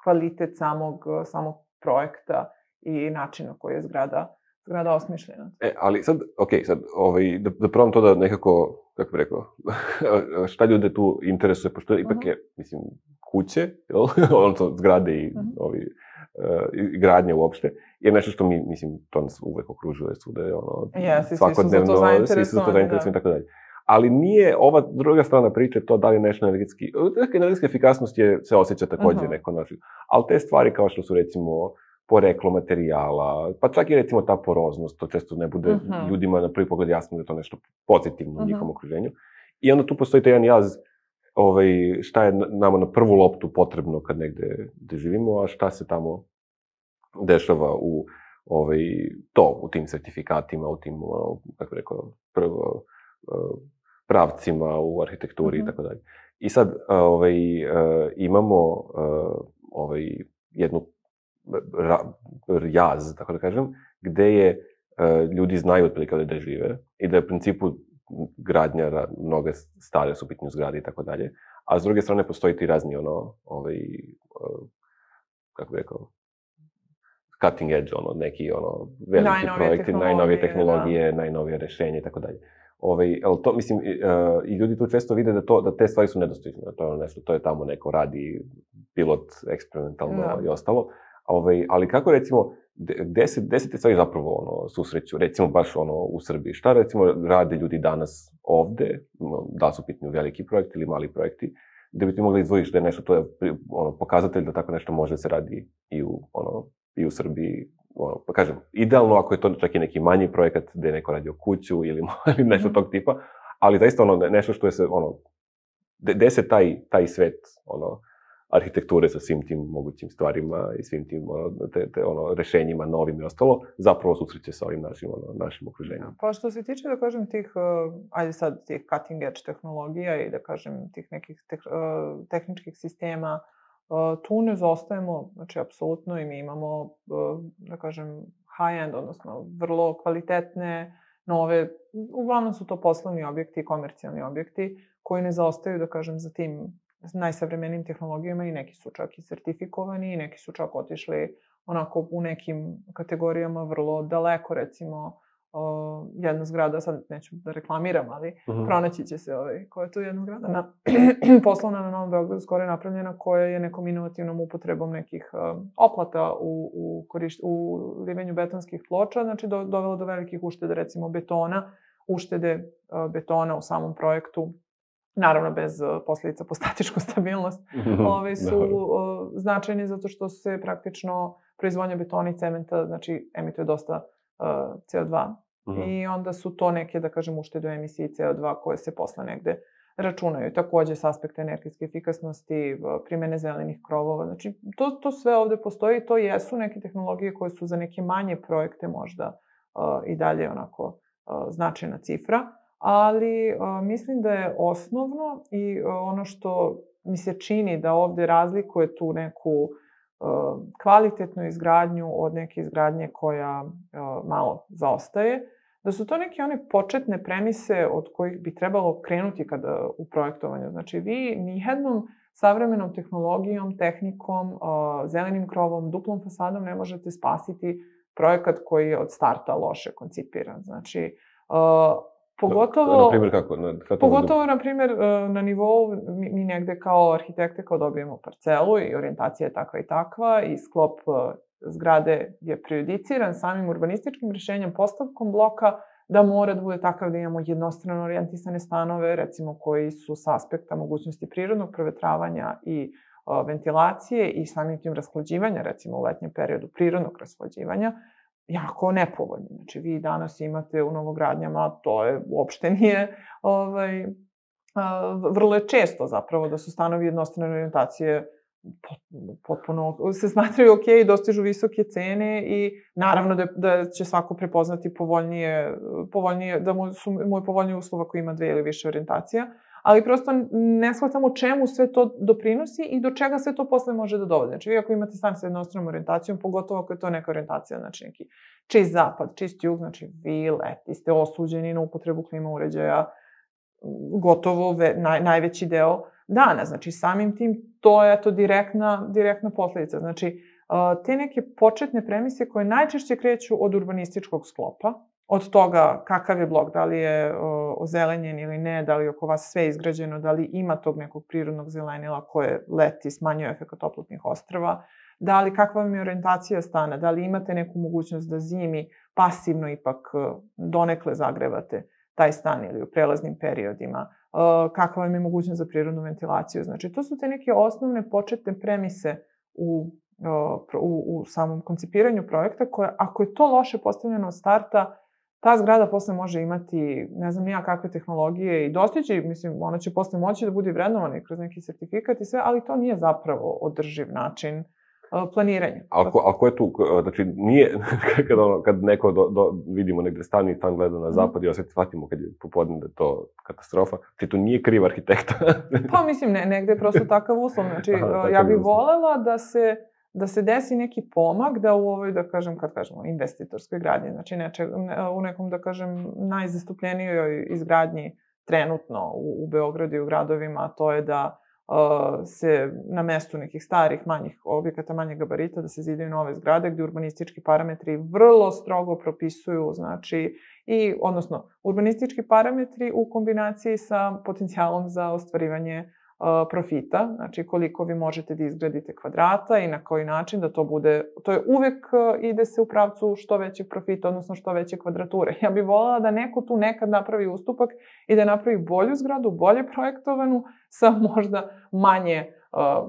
S2: kvalitet samog, samog projekta i načina koji je zgrada, zgrada osmišljena.
S1: E, ali sad, okej, okay, sad, ovaj, da, da probam to da nekako, kako bih rekao, šta ljude tu interesuje, pošto uh-huh. ipak je, mislim, kuće, jel? Odnosno zgrade i uh-huh. ovi, uh, gradnje uopšte, je nešto što mi, mislim, to nas uvek okružuje svuda, ono,
S2: yes,
S1: svakodnevno,
S2: svi su to
S1: zainteresovani i tako dalje. Ali nije ova druga strana priče to da li nešto energetski, energetska efikasnost je, se osjeća takođe uh-huh. neko način, ali te stvari kao što su, recimo, poreklo materijala, pa čak i recimo ta poroznost, to često ne bude uh-huh. ljudima na prvi pogled jasno da je to nešto pozitivno uh-huh. u njihovom okruženju. I onda tu postoji taj jedan jaz, ovaj, šta je nama na prvu loptu potrebno kad negde gde živimo, a šta se tamo dešava u ovaj, to, u tim sertifikatima, u tim, kako bih rekao, prvo, pravcima u arhitekturi i uh-huh. tako dalje. I sad ovaj, imamo ovaj, jednu Ra, jaz, tako da kažem, gde je uh, ljudi znaju otprilike gde žive i da je u principu gradnja, mnoge stare su pitanje zgrade i tako dalje, a s druge strane postoji ti razni ono, ovaj, uh, kako bih rekao, cutting edge, ono, neki ono, veliki najnovije projekti, najnovije tehnologije, da. najnovije rešenje i tako dalje. Ovaj, ali to, mislim, uh, i ljudi tu često vide da, to, da te stvari su nedostižne, da to je nešto, to je tamo neko radi, pilot, eksperimentalno da. i ostalo. Ovaj, ali kako, recimo, gde se, gde se te stvari zapravo ono, susreću, recimo baš ono, u Srbiji? Šta, recimo, rade ljudi danas ovde, da su pitanje veliki projekti ili mali projekti, gde bi ti mogli izdvojiš da je nešto, to je ono, pokazatelj da tako nešto može da se radi i u, ono, i u Srbiji. Ono, pa kažem, idealno ako je to čak i neki manji projekat gde je neko radio kuću ili, ili nešto tog tipa, ali zaista ono, nešto što je se, ono, gde se taj, taj svet, ono, arhitekture sa svim tim mogućim stvarima i svim tim ono, te, te, ono, rešenjima novim i ostalo, zapravo susreće sa ovim našim, ono, našim okruženjem.
S2: Pa što se tiče, da kažem, tih, uh, ajde sad, tih cutting edge tehnologija i da kažem, tih nekih te, uh, tehničkih sistema, uh, tu ne zostajemo, znači, apsolutno, i mi imamo, uh, da kažem, high-end, odnosno, vrlo kvalitetne nove, uglavnom su to poslovni objekti i komercijalni objekti koji ne zaostaju, da kažem, za tim najsavremenijim tehnologijama i neki su čak i sertifikovani i neki su čak otišli onako u nekim kategorijama vrlo daleko, recimo o, jedna zgrada, sad neću da reklamiram, ali uh-huh. pronaći će se ovaj, koja je tu jedna zgrada na, poslovna na Novom Beogradu, skoro je napravljena, koja je nekom inovativnom upotrebom nekih um, oplata u, u, korišt, u livenju betonskih ploča, znači do, dovelo do velikih uštede, recimo betona, uštede uh, betona u samom projektu, naravno bez uh, posljedica po statičku stabilnost, ove su uh, značajni zato što se praktično proizvodnja betona i cementa, znači emituje dosta uh, C O dva. Mm-hmm. I onda su to neke, da kažem, uštede u emisiji C O dva koje se posle negde računaju. Takođe, s aspekta energetske efikasnosti, primene zelenih krovova. Znači, to, to sve ovde postoji. To jesu neke tehnologije koje su za neke manje projekte možda uh, i dalje onako uh, značajna cifra. Ali uh, mislim da je osnovno i uh, ono što mi se čini da ovde razlikuje tu neku uh, kvalitetnu izgradnju od neke izgradnje koja uh, malo zaostaje, da su to neke one početne premise od kojih bi trebalo krenuti kada u projektovanju. Znači, vi nijednom savremenom tehnologijom, tehnikom, uh, zelenim krovom, duplom fasadom ne možete spasiti projekat koji je od starta loše koncipiran. Znači, uh, Pogotovo,
S1: na primjer kako? Na, kako
S2: pogotovo, na primjer, na nivou, mi, mi negde kao arhitekte, kao dobijemo parcelu i orijentacija je takva i takva i sklop zgrade je prejudiciran samim urbanističkim rješenjem, postavkom bloka, da mora da bude takav da imamo jednostrano orijentisane stanove, recimo koji su s aspekta mogućnosti prirodnog provetravanja i o, ventilacije i samim tim rashlađivanja, recimo u letnjem periodu prirodnog rashlađivanja, jako nepovoljni. Znači, vi danas imate u novogradnjama, to je, uopšte nije, ovaj, a, vrlo je često zapravo da su stanovi jednostrane orijentacije potpuno se smatraju ok, dostižu visoke cene i naravno da, da će svako prepoznati povoljnije, povoljnije da mu su mu je povoljnije uslova ako ima dve ili više orijentacija, ali prosto ne shvatamo čemu sve to doprinosi i do čega sve to posle može da dovode. Znači, vi ako imate stan sa jednostranom orijentacijom, pogotovo ako je to neka orijentacija, znači neki čist zapad, čist jug, znači vi leti ste osuđeni na upotrebu klima uređaja gotovo ve, naj, najveći deo dana. Znači, samim tim, to je to direktna, direktna posledica. Znači, te neke početne premise koje najčešće kreću od urbanističkog sklopa, od toga kakav je blok, da li je ozelenjen ili ne, da li je oko vas sve izgrađeno, da li ima tog nekog prirodnog zelenila koje leti, smanjuje efekat toplotnih ostrva, da li, kakva vam je orijentacija stana, da li imate neku mogućnost da zimi pasivno ipak donekle zagrevate taj stan ili u prelaznim periodima, kakva vam je mogućnost za prirodnu ventilaciju. Znači, to su te neke osnovne početne premise u, u, u samom koncipiranju projekta koje, ako je to loše postavljeno od starta, ta zgrada posle može imati, ne znam nija kakve tehnologije i dostići, mislim, ona će posle moći da bude vrednovana i kroz neki sertifikat i sve, ali to nije zapravo održiv način planiranja.
S1: Ako, ako je tu, znači nije, kad, ono, kad neko do, do, vidimo negde stani i stan gleda na zapad i osjeti, shvatimo kad je popodne da je to katastrofa, znači to nije kriv arhitekta.
S2: Pa mislim, ne, negde je prosto takav uslov, znači aha, ja bih volela da se da se desi neki pomak da u ovoj, da kažem, kad kažemo, investitorskoj gradnji, znači neče, u nekom, da kažem, najzastupljenijoj izgradnji trenutno u, u Beogradu i u gradovima, to je da uh, se na mestu nekih starih, manjih objekata, manjih gabarita, da se zidaju nove zgrade gde urbanistički parametri vrlo strogo propisuju, znači, i, odnosno, urbanistički parametri u kombinaciji sa potencijalom za ostvarivanje profita, znači koliko vi možete da izgradite kvadrata i na koji način da to bude, to je uvek ide se u pravcu što većeg profita, odnosno što veće kvadrature. Ja bih voljela da neko tu nekad napravi ustupak i da napravi bolju zgradu, bolje projektovanu, sa možda manje,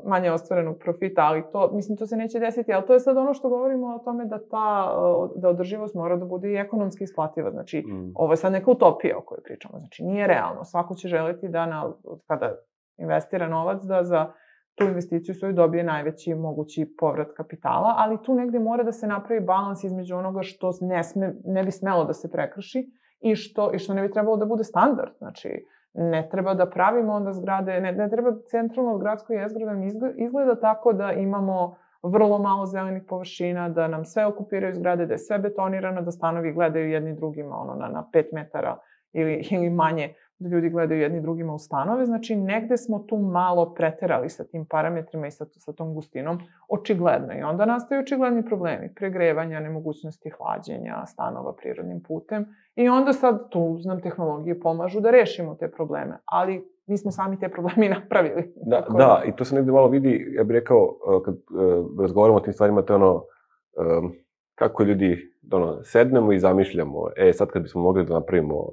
S2: manje ostvarenog profita, ali to, mislim, to se neće desiti, ali to je sad ono što govorimo o tome da ta, da održivost mora da bude i ekonomski isplativa, znači, mm. ovo je sad neka utopija o kojoj pričamo, znači, nije realno, svako će želiti da, na, kada investira novac, da za tu investiciju svoju dobije najveći mogući povrat kapitala, ali tu negde mora da se napravi balans između onoga što ne, sme, ne bi smelo da se prekrši i što, i što ne bi trebalo da bude standard. Znači, ne treba da pravimo onda zgrade, ne, ne treba centralno gradsko jezgro da izgleda tako da imamo vrlo malo zelenih površina, da nam sve okupiraju zgrade, da je sve betonirano, da stanovi gledaju jedni drugima ono, na, na pet metara ili, ili manje, da ljudi gledaju jedni drugima u stanove. Znači, negde smo tu malo preterali sa tim parametrima i sa, sa tom gustinom, očigledno. I onda nastaju očigledni problemi, pregrevanja, nemogućnosti hlađenja stanova prirodnim putem. I onda sad tu nam tehnologije pomažu da rešimo te probleme. Ali mi smo sami te probleme i napravili.
S1: Da, da, i to se negde malo vidi, ja bih rekao, kad uh, razgovaramo o tim stvarima, to je ono, um, kako ljudi, ono, sednemo i zamišljamo, e, sad kad bismo mogli da napravimo,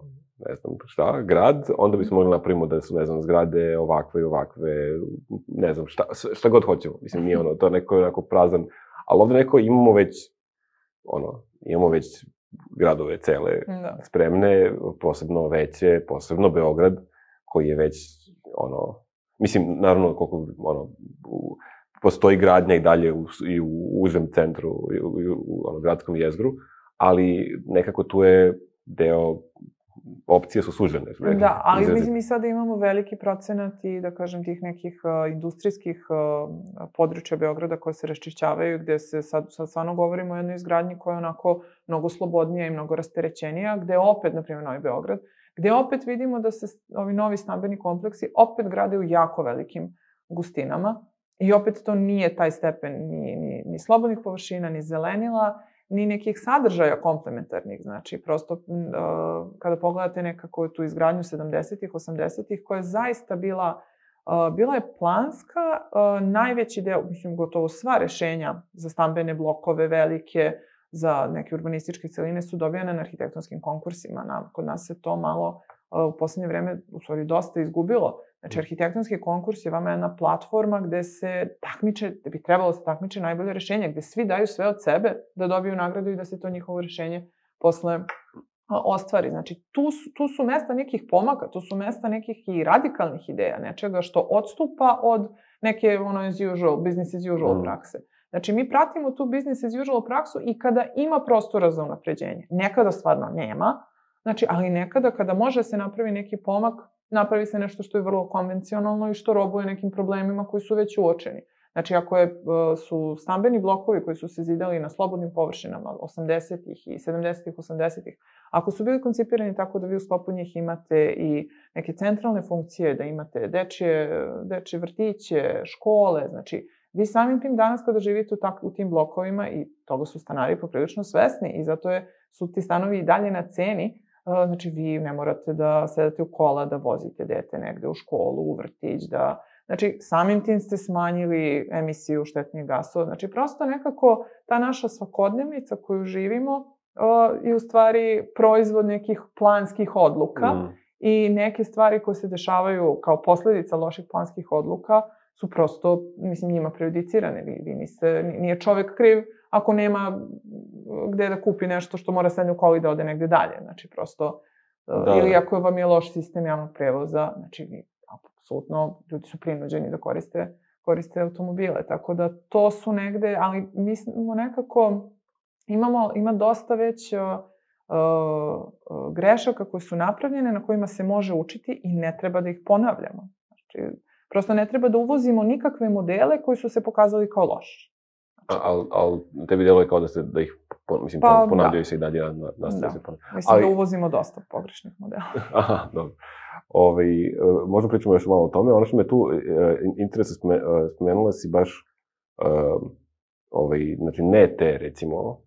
S1: ne znam šta, grad, onda bismo mogli napravimo da su, ne znam, zgrade ovakve i ovakve, ne znam, šta, šta god hoćemo. Mislim, nije ono, to neko je onako prazan, ali ovde neko imamo već, ono, imamo već gradove cele
S2: da.
S1: spremne, posebno veće, posebno Beograd, koji je već, ono, mislim, naravno, koliko, ono, u, postoji gradnja i dalje u, i u užem centru, i u, i u ono, gradskom jezgru, ali nekako tu je deo, opcije su sužene.
S2: Da, ali izrazi. Mislim, mi sada imamo veliki procenat i, da kažem, tih nekih uh, industrijskih uh, područja Beograda koje se raščišćavaju, gde se sad, sad stvarno govorimo o jednoj izgradnji koja je onako mnogo slobodnija i mnogo rasterećenija, gde opet, na primjer, Novi Beograd, gde opet vidimo da se ovi novi stambeni kompleksi opet grade u jako velikim gustinama i opet to nije taj stepen ni, ni, ni slobodnih površina, ni zelenila, ni nekih sadržaja komplementarnih. Znači, prosto, uh, kada pogledate nekako tu izgradnju sedamdesetih, osamdesetih, koja je zaista bila, uh, bila je planska, uh, najveći deo, mislim, gotovo sva rešenja za stambene blokove velike, za neke urbanističke celine su dobijane na arhitektonskim konkursima. Na, kod nas se to malo uh, u poslednje vreme, u stvari, dosta izgubilo. Znači, arhitektonski konkurs je vama jedna platforma gde se takmiče, gde bi trebalo se takmiče najbolje rešenje, gde svi daju sve od sebe da dobiju nagradu i da se to njihovo rešenje posle ostvari. Znači, tu su, tu su mesta nekih pomaka, tu su mesta nekih i radikalnih ideja, nečega što odstupa od neke, ono, as usual, business as usual prakse. Znači, mi pratimo tu business as usual praksu i kada ima prostora za unapređenje. Nekada stvarno nema, znači, ali nekada kada može se napravi neki pomak, napravi se nešto što je vrlo konvencionalno i što robuje nekim problemima koji su već uočeni. Znači, ako je, su stambeni blokovi koji su se zidali na slobodnim površinama osamdesetih i sedamdesetih, osamdesetih, ako su bili koncipirani tako da vi u sklopu njih imate i neke centralne funkcije, da imate dečje, dečje vrtiće, škole, znači, vi samim tim danas kada živite u, tak, u tim blokovima, i toga su stanari poprilično svesni i zato je, su ti stanovi i dalje na ceni, znači, vi ne morate da sedate u kola, da vozite dete negde u školu, u vrtić, da... Znači, samim tim ste smanjili emisiju štetnih gasova. Znači, prosto nekako ta naša svakodnevnica koju živimo uh, je u stvari proizvod nekih planskih odluka mm. i neke stvari koje se dešavaju kao posledica loših planskih odluka su prosto, mislim, njima prejudicirane. Vi, vi niste, nije čovek kriv ako nema gde da kupi nešto što mora sedne u kolo i da ode negde dalje. Znači, prosto, da. Ili ako vam je loš sistem javnog prevoza, znači, vi, apsolutno, ljudi su prinuđeni da koriste, koriste automobile. Tako da, to su negde, ali mislimo nekako, imamo, ima dosta već uh, uh, grešaka koje su napravljene, na kojima se može učiti i ne treba da ih ponavljamo. Znači, prosto ne treba da uvozimo nikakve modele koji su se pokazali kao loši.
S1: Ali al, tebi deluje kao da, se, da ih mislim, pa, ponavljaju da. se i dalje na, nastavljaju se ponavljaju.
S2: Mislim ali... da uvozimo dosta pogrešnih modela.
S1: Aha, dobro. Ove, možda pričamo još malo o tome. Ono što me tu interesuje, spomenula si baš ove, znači, ne te, recimo,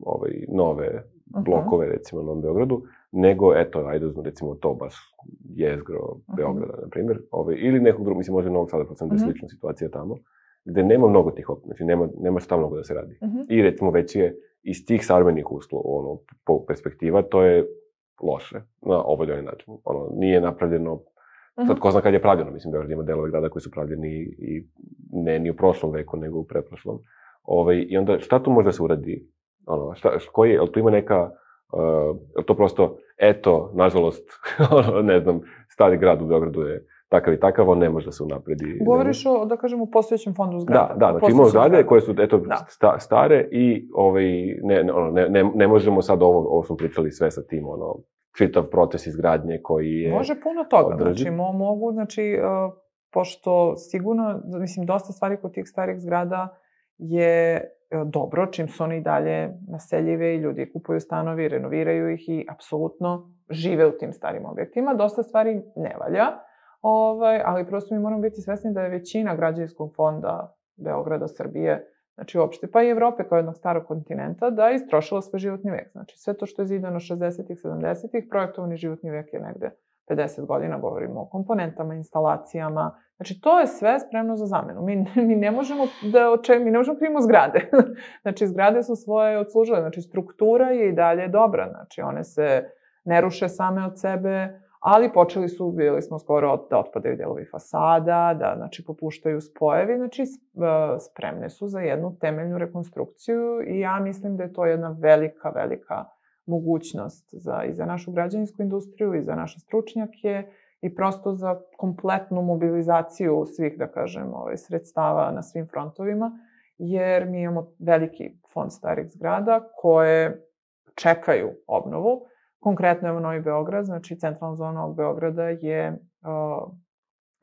S1: ove, nove blokove, uh-huh. recimo, na Novom Beogradu, nego, eto, ajde uzmem, recimo, to baš jezgro Beograda, uh-huh. na primjer, ove, ili nekog drugog, mislim, možda Novog Sada, pa sam da je slična situacija tamo, gde nema mnogo tih opcija, znači nema, nema šta mnogo da se radi. Uh-huh. I recimo već je iz tih savremenih uslova, ono, po perspektiva, to je loše na ovaj ili način. Ono, nije napravljeno, uh-huh. sad ko zna kad je pravljeno, mislim, Beograd ima delove grada koji su pravljeni i ne ni u prošlom veku, nego u pretprošlom. Ove, I onda, šta tu može da se uradi? Ono, šta, koji, ali tu ima neka, uh, to prosto, eto, nažalost, ono, ne znam, stari grad u Beogradu je takav i takav, on ne može da se unapredi.
S2: Govoriš o, da kažem, u postojećem fondu zgrada.
S1: Da, da, znači imamo zgrade koje su, eto, sta, stare i ovaj, ne, ono, ne, ne, ne možemo sad ovo, ovo smo pričali sve sa tim, ono, čitav proces izgradnje koji je...
S2: Može puno toga, održi. Znači, mo, mogu, znači, uh, pošto sigurno, mislim, dosta stvari kod tih starih zgrada je dobro, čim su oni dalje naseljive i ljudi kupuju stanovi, renoviraju ih i apsolutno žive u tim starim objektima. Dosta stvari ne valja, ovaj, ali prosto mi moramo biti svesni da je većina građevinskog fonda Beograda, Srbije, znači uopšte, pa i Evrope kao jednog starog kontinenta, da je istrošila svoj životni vek. Znači sve to što je zidano šezdesetih, sedamdesetih, projektovani životni vek je negde pedeset godina, govorimo o komponentama, instalacijama. Znači, to je sve spremno za zamenu. Mi, mi ne možemo da oče, mi ne možemo krivimo zgrade. Znači, zgrade su svoje odslužile. Znači, struktura je i dalje dobra. Znači, one se ne ruše same od sebe, ali počeli su, vidjeli smo skoro da otpadaju delovi fasada, da, znači, popuštaju spojevi. Znači, spremne su za jednu temeljnu rekonstrukciju i ja mislim da je to jedna velika, velika mogućnost za, i za našu građevinsku industriju i za naše stručnjake i prosto za kompletnu mobilizaciju svih, da kažem, ovaj, sredstava na svim frontovima, jer mi imamo veliki fond starih zgrada koje čekaju obnovu. Konkretno, evo, Novi Beograd, znači centralna zona ovog Beograda je uh,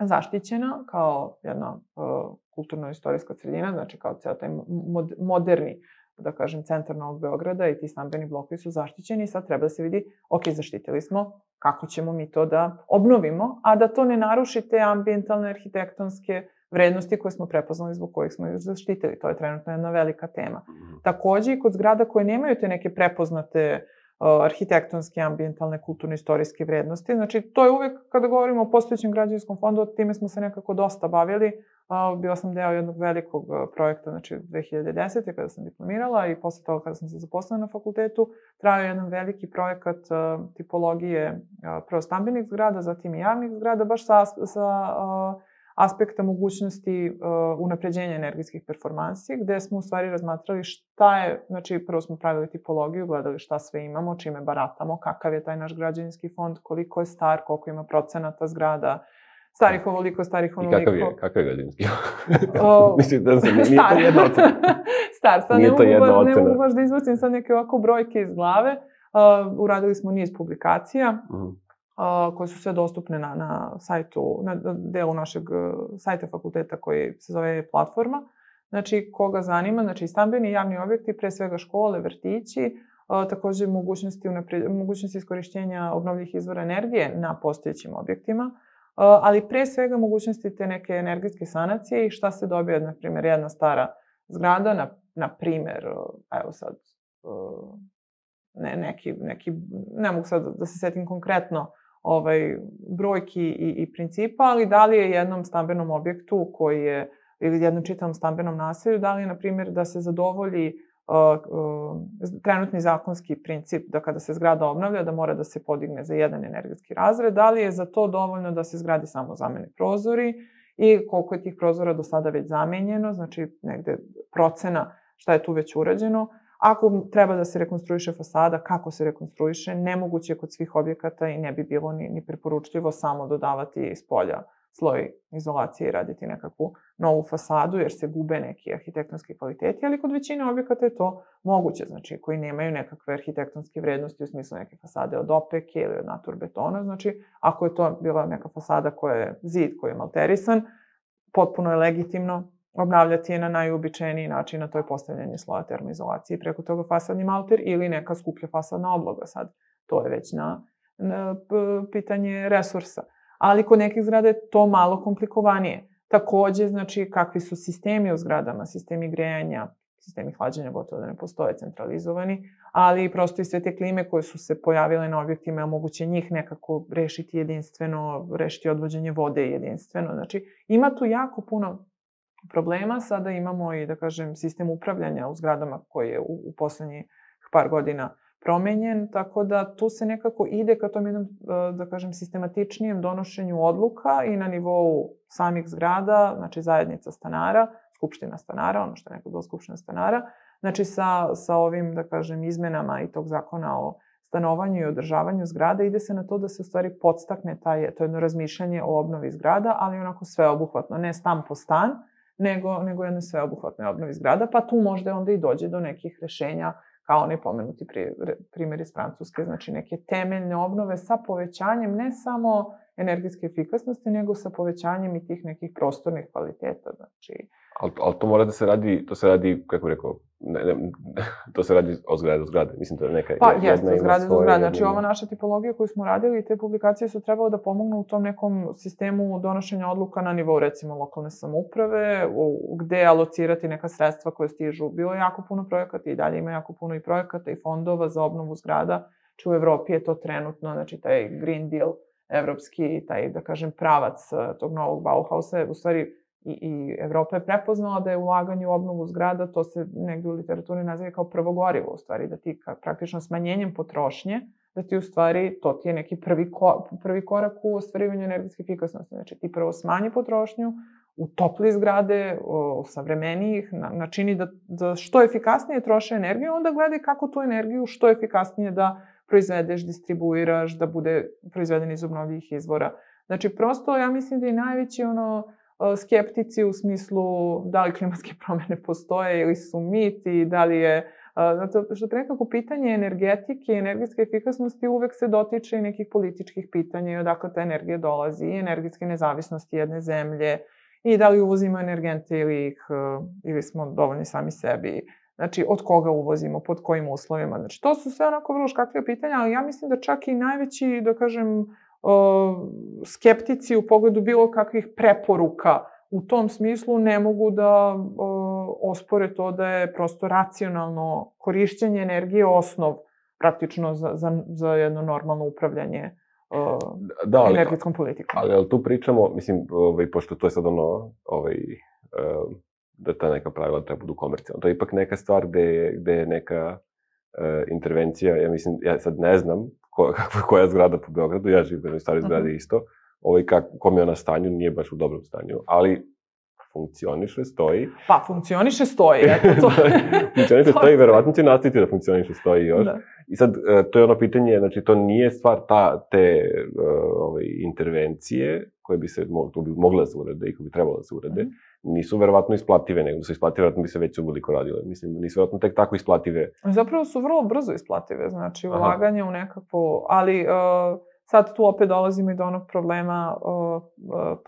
S2: zaštićena kao jedna uh, kulturno-istorijska sredina, znači kao ceo taj mod, moderni, da kažem, centar Novog Beograda i ti stambeni blokovi su zaštićeni i sad treba da se vidi, ok, zaštitili smo, kako ćemo mi to da obnovimo, a da to ne naruši te ambijentalne, arhitektonske vrednosti koje smo prepoznali zbog kojih smo ih zaštitili. To je trenutno jedna velika tema. Takođe i kod zgrada koje nemaju te neke prepoznate uh, arhitektonske, ambijentalne, kulturno-istorijske vrednosti. Znači, to je uvek, kada govorimo o postojećem građevinskom fondu, time smo se nekako dosta bavili. Uh, bila sam deo jednog velikog uh, projekta, znači dve hiljade desete. kada sam diplomirala i posle toga kada sam se zaposlila na fakultetu, trajao jedan veliki projekat uh, tipologije uh, prvo stambenih zgrada, zatim i javnih zgrada, baš sa, sa uh, aspekta mogućnosti uh, unapređenja energetskih performansi, gde smo u stvari razmatrali šta je, znači prvo smo pravili tipologiju, gledali šta sve imamo, čime baratamo, kakav je taj naš građevinski fond, koliko je star, koliko ima procenata zgrada, starih ovoliko, starih onoliko.
S1: I kakav je, kakav je građevinski fond? Mislim da se nije, nije to jedna ocena.
S2: Star, sad ne mogu, baš, ne mogu baš da izvrcim sad neke ovako brojke iz glave. Uh, uradili smo niz publikacija. Mm. Uh, koje su sve dostupne na, na sajtu, na delu našeg sajta fakulteta koji se zove Platforma. Znači, koga zanima, znači stambeni i javni objekti, pre svega škole, vrtići, uh, takođe mogućnosti, unapred, mogućnosti iskorišćenja obnovljivih izvora energije na postojećim objektima, uh, ali pre svega mogućnosti te neke energetske sanacije i šta se dobije, na primjer, jedna stara zgrada, na, na primjer, uh, evo sad, uh, ne, neki, neki, ne mogu sad da se setim konkretno, ovaj, brojki i, i principa, ali da li je jednom stambenom objektu koji je, ili jednom čitavom stambenom naselju, da li je, na primjer, da se zadovolji uh, uh, trenutni zakonski princip da kada se zgrada obnavlja, da mora da se podigne za jedan energetski razred, da li je za to dovoljno da se zgradi samo zamene prozori i koliko je tih prozora do sada već zamenjeno, znači negde procena šta je tu već urađeno. Ako treba da se rekonstruiše fasada, kako se rekonstruiše, nemoguće je kod svih objekata i ne bi bilo ni, ni preporučljivo samo dodavati iz polja sloj izolacije i raditi nekakvu novu fasadu, jer se gube neki arhitektonski kvaliteti, ali kod većine objekata je to moguće, znači koji nemaju nekakve arhitektonske vrednosti u smislu neke fasade od opeke ili od naturbetona, znači ako je to bila neka fasada koja je zid koji je malterisan, potpuno je legitimno obnavljati je na najuobičajeniji način, a to je postavljanje sloja termoizolacije preko toga fasadni malter ili neka skuplja fasadna obloga. Sad, to je već na, na pitanje resursa. Ali kod nekih zgrada je to malo komplikovanije. Takođe, znači, kakvi su sistemi u zgradama, sistemi grejanja, sistemi hlađenja gotovo da ne postoje centralizovani, ali prosto i sve te klime koje su se pojavile na objektima, je moguće njih nekako rešiti jedinstveno, rešiti odvođenje vode jedinstveno. Znači, ima tu jako puno problema. Sada imamo i, da kažem, sistem upravljanja u zgradama koji je u, u poslednjih par godina promenjen, tako da tu se nekako ide ka tom jednom, da kažem, sistematičnijem donošenju odluka i na nivou samih zgrada, znači zajednica stanara, skupština stanara, ono što je nekako bilo skupština stanara, znači sa, sa ovim, da kažem, izmenama i tog zakona o stanovanju i održavanju zgrada, ide se na to da se u stvari podstakne taj, to jedno razmišljanje o obnovi zgrada, ali onako sveobuhvatno, ne stan po stan, nego, nego jedno sveobuhvatne obnovi zgrada, pa tu možda onda i dođe do nekih rešenja, kao onaj pomenuti primjer iz Francuske, znači neke temeljne obnove sa povećanjem ne samo energetske efikasnosti, nego sa povećanjem i tih nekih prostornih kvaliteta. Znači...
S1: Ali, ali to mora da se radi, to se radi, kako bih rekao, ne, ne, to se radi od zgrade do zgrade. Mislim, to je neka
S2: pa,
S1: jedna
S2: jeste, od zgrade do zgrade. Znači,
S1: jedna...
S2: ova naša tipologija koju smo radili, te publikacije su trebalo da pomognu u tom nekom sistemu donošenja odluka na nivou, recimo, lokalne samouprave, u, gde alocirati neka sredstva koje stižu. Bilo je jako puno projekata i dalje ima jako puno i projekata i fondova za obnovu zgrada. Či u Evropi je to trenutno, znači, taj Green Deal evropski, taj, da kažem, pravac tog novog Bauhausa, u stvari, I, i Evropa je prepoznala da je ulaganje u obnovu zgrada, to se negde u literaturi naziva kao prvo gorivo, u stvari, da ti ka, praktično smanjenjem potrošnje, da ti u stvari, to ti je neki prvi, ko, prvi korak u ostvarivanju energetske efikasnosti. Znači, ti prvo smanji potrošnju, utopli zgrade, savremenijih, na, načini da, da što efikasnije troše energiju, onda gledaj kako tu energiju što efikasnije da proizvedeš, distribuiraš, da bude proizveden iz obnovljivih izvora. Znači, prosto, ja mislim da i najveći ono, skeptici u smislu da li klimatske promene postoje ili su mit i da li je... Zato što nekako pitanje energetike i energetske efikasnosti uvek se dotiče i nekih političkih pitanja i odakle ta energija dolazi, i energetske nezavisnosti jedne zemlje, i da li uvozimo energente ili, ih, ili smo dovoljni sami sebi. Znači, od koga uvozimo, pod kojim uslovima. Znači, to su sve onako vrlo škakljive pitanja, ali ja mislim da čak i najveći, da kažem, skeptici u pogledu bilo kakvih preporuka u tom smislu ne mogu da ospore to da je prosto racionalno korišćenje energije osnov praktično za, za, za jedno normalno upravljanje da, ali, energetskom politikom.
S1: Ali, ali tu pričamo, mislim, ovaj, pošto to je sad ono, ovaj, da ta neka pravila treba budu komercijalna. To je ipak neka stvar gde, gde je neka uh, intervencija, ja mislim, ja sad ne znam ko, kakva koja zgrada po Beogradu, ja živim u jednoj staroj zgradi uh-huh. isto, ovaj, kak, kom je ona stanju, nije baš u dobrom stanju, ali funkcioniše, stoji.
S2: Pa, funkcioniše, stoji, eto to.
S1: Funkcioniše, stoji, verovatno će nastaviti da funkcioniše, stoji još. Da. I sad, to je ono pitanje, znači, to nije stvar ta, te ove, intervencije koje bi se bi mogle da se urade i koje bi trebalo da se urade, mm. nisu verovatno isplative, nego su isplative, verovatno bi se već uveliko radile. Mislim, nisu verovatno tek tako isplative.
S2: Zapravo su vrlo brzo isplative, znači, ulaganje u nekakvo, ali... Uh, Sad tu opet dolazimo i do onog problema uh,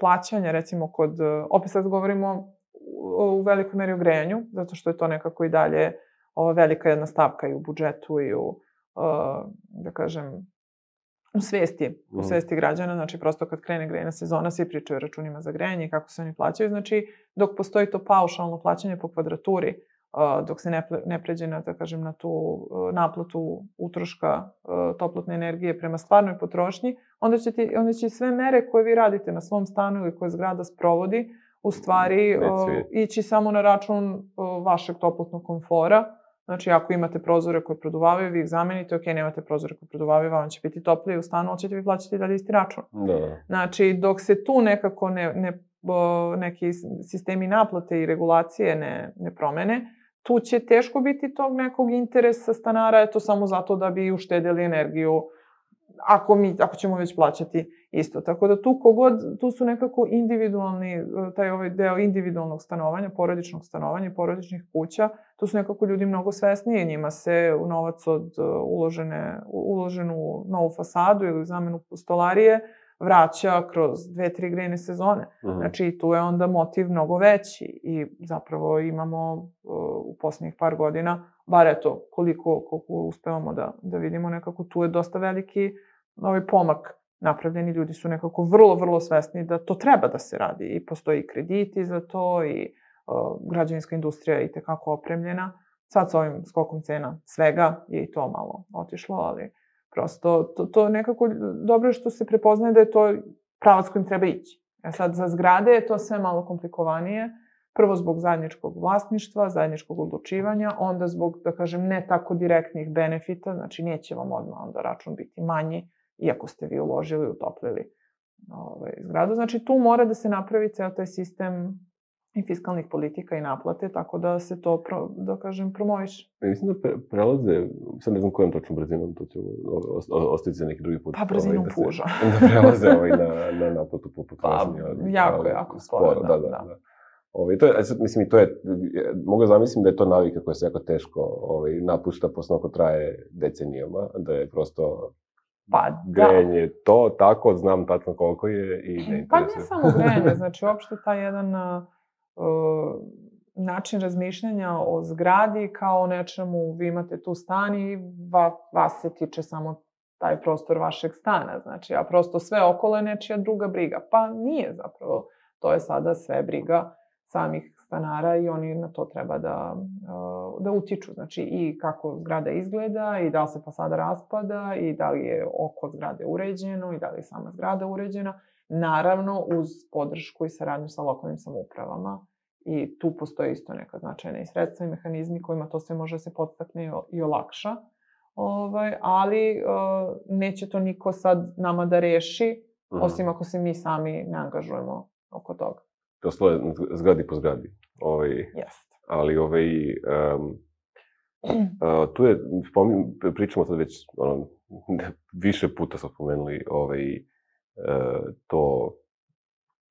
S2: plaćanja, recimo kod, uh, opet sad govorimo u, u velikoj meri o grejanju, zato što je to nekako i dalje uh, velika jedna stavka i u budžetu i u, uh, da kažem, u svesti, u svesti građana, znači prosto kad krene grejna sezona, svi pričaju o računima za grejanje i kako se oni plaćaju, znači dok postoji to paušalno plaćanje po kvadraturi, Uh, dok se ne, ne pređe na, da kažem, na tu uh, naplatu utroška uh, toplotne energije prema stvarnoj potrošnji, onda će, ti, onda će sve mere koje vi radite na svom stanu ili koje zgrada sprovodi, u stvari uh, ići samo na račun uh, vašeg toplotnog komfora. Znači, ako imate prozore koje produvavaju, vi ih zamenite, ok, nemate prozore koje produvavaju, vam će biti toplije u stanu, ali ćete vi plaćati dalje isti račun.
S1: Da.
S2: Znači, dok se tu nekako ne, ne, neki sistemi naplate i regulacije ne, ne promene, tu će teško biti tog nekog interesa stanara, eto samo zato da bi uštedili energiju, ako, mi, ako ćemo već plaćati isto. Tako da tu kogod, tu su nekako individualni, taj ovaj deo individualnog stanovanja, porodičnog stanovanja, porodičnih kuća, tu su nekako ljudi mnogo svesniji, njima se u novac od uložene, uloženu novu fasadu ili zamenu stolarije vraća kroz dve, tri grejne sezone. Uh-huh. Znači, tu je onda motiv mnogo veći i zapravo imamo uh, u poslednjih par godina, bar eto, koliko, koliko uspevamo da, da vidimo, nekako tu je dosta veliki ovaj pomak napravljeni. Ljudi su nekako vrlo, vrlo svesni da to treba da se radi i postoji krediti za to i uh, građevinska industrija je i tekako opremljena. Sad s ovim skokom cena svega je i to malo otišlo, ali prosto, to, to nekako dobro je što se prepoznaje da je to pravac kojim treba ići. A sad, za zgrade je to sve malo komplikovanije. Prvo zbog zajedničkog vlasništva, zajedničkog odlučivanja, onda zbog, da kažem, ne tako direktnih benefita, znači neće vam odmah onda račun biti manji, iako ste vi uložili, utoplili ovaj, zgradu. Znači, tu mora da se napravi ceo taj sistem i fiskalnih politika i naplate, tako da se to, pro, da kažem, promoviš.
S1: Mislim da pre, prelaze, sad ne znam kojom točnom brzinom, to će ostaviti za neki drugi put.
S2: Pa brzinom
S1: ovaj, da
S2: puža.
S1: Se, da prelaze ovaj na, na naplatu po potrošnji.
S2: Pa, jako, ovaj, jako sporo, sporo, da, da. da. da.
S1: Ovaj, to je, sad, mislim, to je, mogu zamislim da je to navika koja se jako teško ovaj, napušta posle ako traje decenijama, da je prosto
S2: Pa da.
S1: grejanje to, tako, znam tačno koliko je i ne interesuje.
S2: Pa ne samo grejanje, znači uopšte taj jedan uh, način razmišljanja o zgradi kao o nečemu, vi imate tu stan i va, vas se tiče samo taj prostor vašeg stana, znači, a prosto sve okolo je nečija druga briga. Pa nije zapravo, to je sada sve briga samih stanara i oni na to treba da, da utiču. Znači, i kako zgrada izgleda, i da li se fasada raspada, i da li je oko zgrade uređeno, i da li je sama zgrada uređena. Naravno, uz podršku i saradnju sa lokalnim samoupravama. I tu postoje isto neka značajna i sredstva i mehanizmi kojima to sve može se podstakne i olakša. Ovaj, ali uh, neće to niko sad nama da reši, mm. osim ako se mi sami ne angažujemo oko toga.
S1: To stoje zgradi po zgradi. Ovaj,
S2: Jeste.
S1: Ali ovaj, um, uh, tu je, spomin, pričamo sad već, ono, više puta smo spomenuli ovaj, uh, to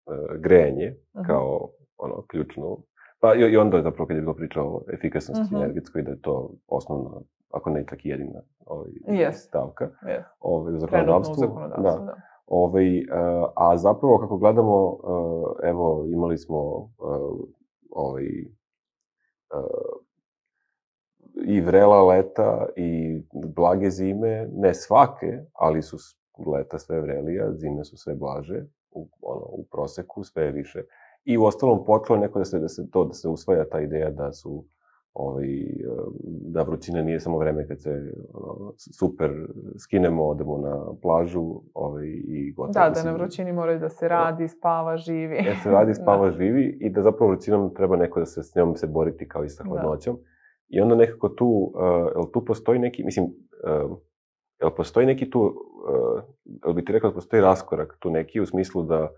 S1: uh, grejanje uh-huh. kao ono, ključno. Pa i, i onda je zapravo kad je bilo priča o efikasnosti uh-huh. energetskoj, da je to osnovna, ako ne čak i jedina ovaj,
S2: yes.
S1: stavka
S2: yes.
S1: ovaj, u zakonodavstvu.
S2: Trenutno u zakonodavstvu, da. da.
S1: Ovaj, uh, a zapravo, kako gledamo, uh, evo, imali smo uh, ovaj, uh, i vrela leta i blage zime, ne svake, ali su leta sve vrelija, zime su sve blaže, u, ono, u proseku sve više. I u ostalom počelo neko da se, da se to, da se usvaja ta ideja da su ovaj, da vrućina nije samo vreme kad se ono, super skinemo, odemo na plažu ovaj, i gotovo.
S2: Da, da na vrućini moraju da se radi, spava, živi.
S1: Da se radi, spava, da. živi i da zapravo vrućinom treba neko da se s njom se boriti kao i sa hladnoćom. Da. I onda nekako tu, uh, jel tu postoji neki, mislim, uh, jel postoji neki tu, uh, jel bi ti rekao da postoji raskorak tu neki u smislu da,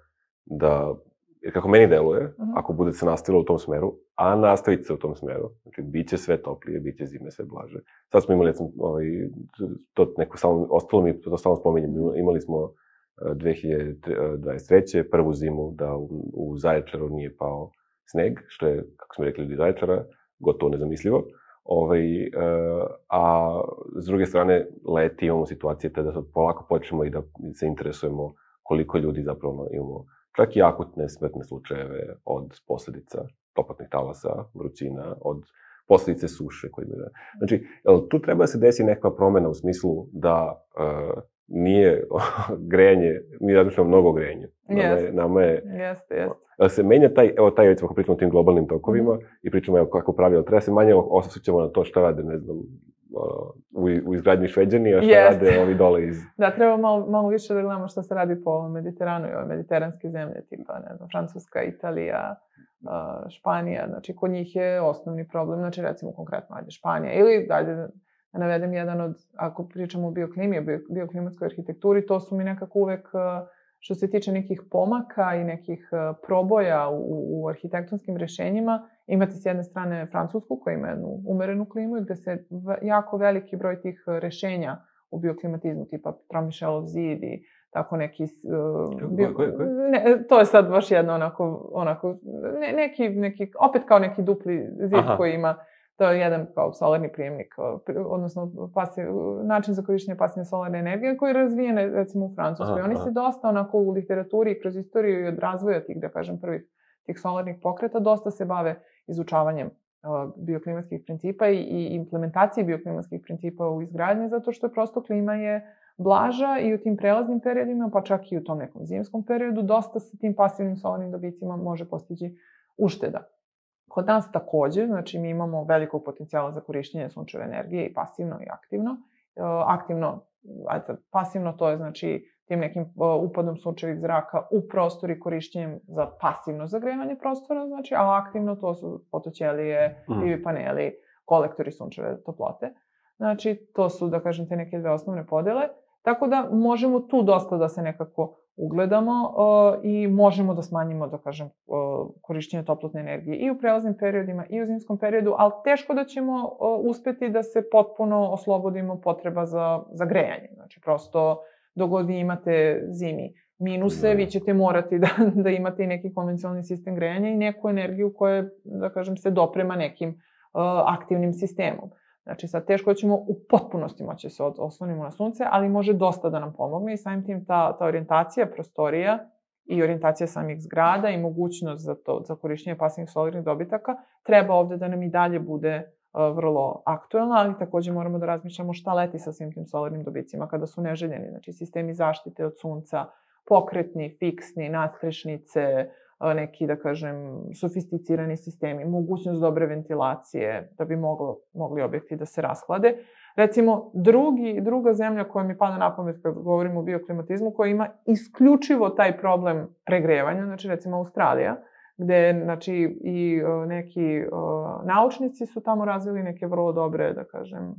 S1: da jer kako meni deluje, uh-huh. ako bude se nastavilo u tom smeru, a nastaviti se u tom smeru, znači, bit će sve toplije, bit će zime sve blaže. Sad smo imali, ovaj, to neko samo, ostalo mi, to samo spominjem, imali smo dve hiljade dvadeset treće prvu zimu da u, u Zaječaru nije pao sneg, što je, kako smo rekli ljudi Zaječara, gotovo nezamislivo. Ovaj, a s druge strane, leti imamo situacije te da polako počnemo i da se interesujemo koliko ljudi zapravo imamo čak i akutne smrtne slučajeve od posledica toplotnih talasa, vrućina, od posledice suše koje imaju. Znači, jel, tu treba da se desi nekakva promena u smislu da uh, nije grejanje, mi razmišljamo mnogo grejanje. Nama je, nama je,
S2: jeste, jeste.
S1: Da se menja taj, evo taj, recimo, ako pričamo o tim globalnim tokovima mm. i pričamo evo, kako pravilo, treba se manje osjećamo na to šta rade, ne znam, u, u izgradnji Šveđani, a šta yes. rade ovi dole iz...
S2: Da, treba malo, malo više da gledamo šta se radi po Mediteranu i ove mediteranske zemlje, tipa, ne znam, Francuska, Italija, Španija, znači, kod njih je osnovni problem, znači, recimo, konkretno, ajde, Španija, ili, ajde, da navedem jedan od, ako pričamo o bioklimi, o bioklimatskoj arhitekturi, to su mi nekako uvek, što se tiče nekih pomaka i nekih proboja u, u arhitektonskim rešenjima, imate s jedne strane Francusku, koja ima jednu umerenu klimu i gde se jako veliki broj tih rešenja u bioklimatizmu, tipa Tromišelov zid i tako neki... Uh, bio,
S1: koje, koje?
S2: Ne, to je sad baš jedno onako, onako ne, neki, neki, opet kao neki dupli zid Aha. koji ima, to je jedan kao solarni prijemnik, odnosno pasiv, način za korištenje pasivne solarne energije koji je razvijen recimo u Francuskoj. Aha, Oni aha. se dosta onako u literaturi i kroz istoriju i od razvoja tih, da kažem, prvih tih solarnih pokreta, dosta se bave izučavanjem uh, bioklimatskih principa i, i implementacije bioklimatskih principa u izgradnji, zato što je prosto klima je blaža i u tim prelaznim periodima, pa čak i u tom nekom zimskom periodu, dosta sa tim pasivnim solarnim dobicima može postići ušteda. Kod nas takođe, znači mi imamo velikog potencijala za korišćenje sunčeve energije i pasivno i aktivno. Uh, aktivno, ajde, pasivno to je znači tim nekim uh, upadom sunčevih zraka u prostor i korišćenjem za pasivno zagrevanje prostora, znači, a aktivno to su fotoćelije, P V paneli, kolektori sunčeve toplote. Znači, to su, da kažem, te neke dve osnovne podele. Tako da možemo tu dosta da se nekako ugledamo uh, i možemo da smanjimo, da kažem, uh, korišćenje toplotne energije i u prelaznim periodima i u zimskom periodu, ali teško da ćemo uh, uspeti da se potpuno oslobodimo potreba za, za grejanje. Znači, prosto, dok god vi imate zimi minuse, no. vi ćete morati da, da imate i neki konvencionalni sistem grejanja i neku energiju koja, da kažem, se doprema nekim uh, aktivnim sistemom. Znači, sad teško da ćemo u potpunosti moći se oslonimo na sunce, ali može dosta da nam pomogne i samim tim ta, ta orijentacija prostorija i orijentacija samih zgrada i mogućnost za, to, za korišćenje pasivnih solarnih dobitaka treba ovde da nam i dalje bude uh, vrlo aktuelna, ali takođe moramo da razmišljamo šta leti sa svim tim solarnim dobicima kada su neželjeni. Znači, sistemi zaštite od sunca, pokretni, fiksni, nadstrešnice, neki, da kažem, sofisticirani sistemi, mogućnost dobre ventilacije da bi moglo, mogli objekti da se rashlade. Recimo, drugi, druga zemlja koja mi pada na pamet kad govorimo o bioklimatizmu, koja ima isključivo taj problem pregrevanja, znači recimo Australija, gde znači, i neki uh, naučnici su tamo razvili neke vrlo dobre, da kažem,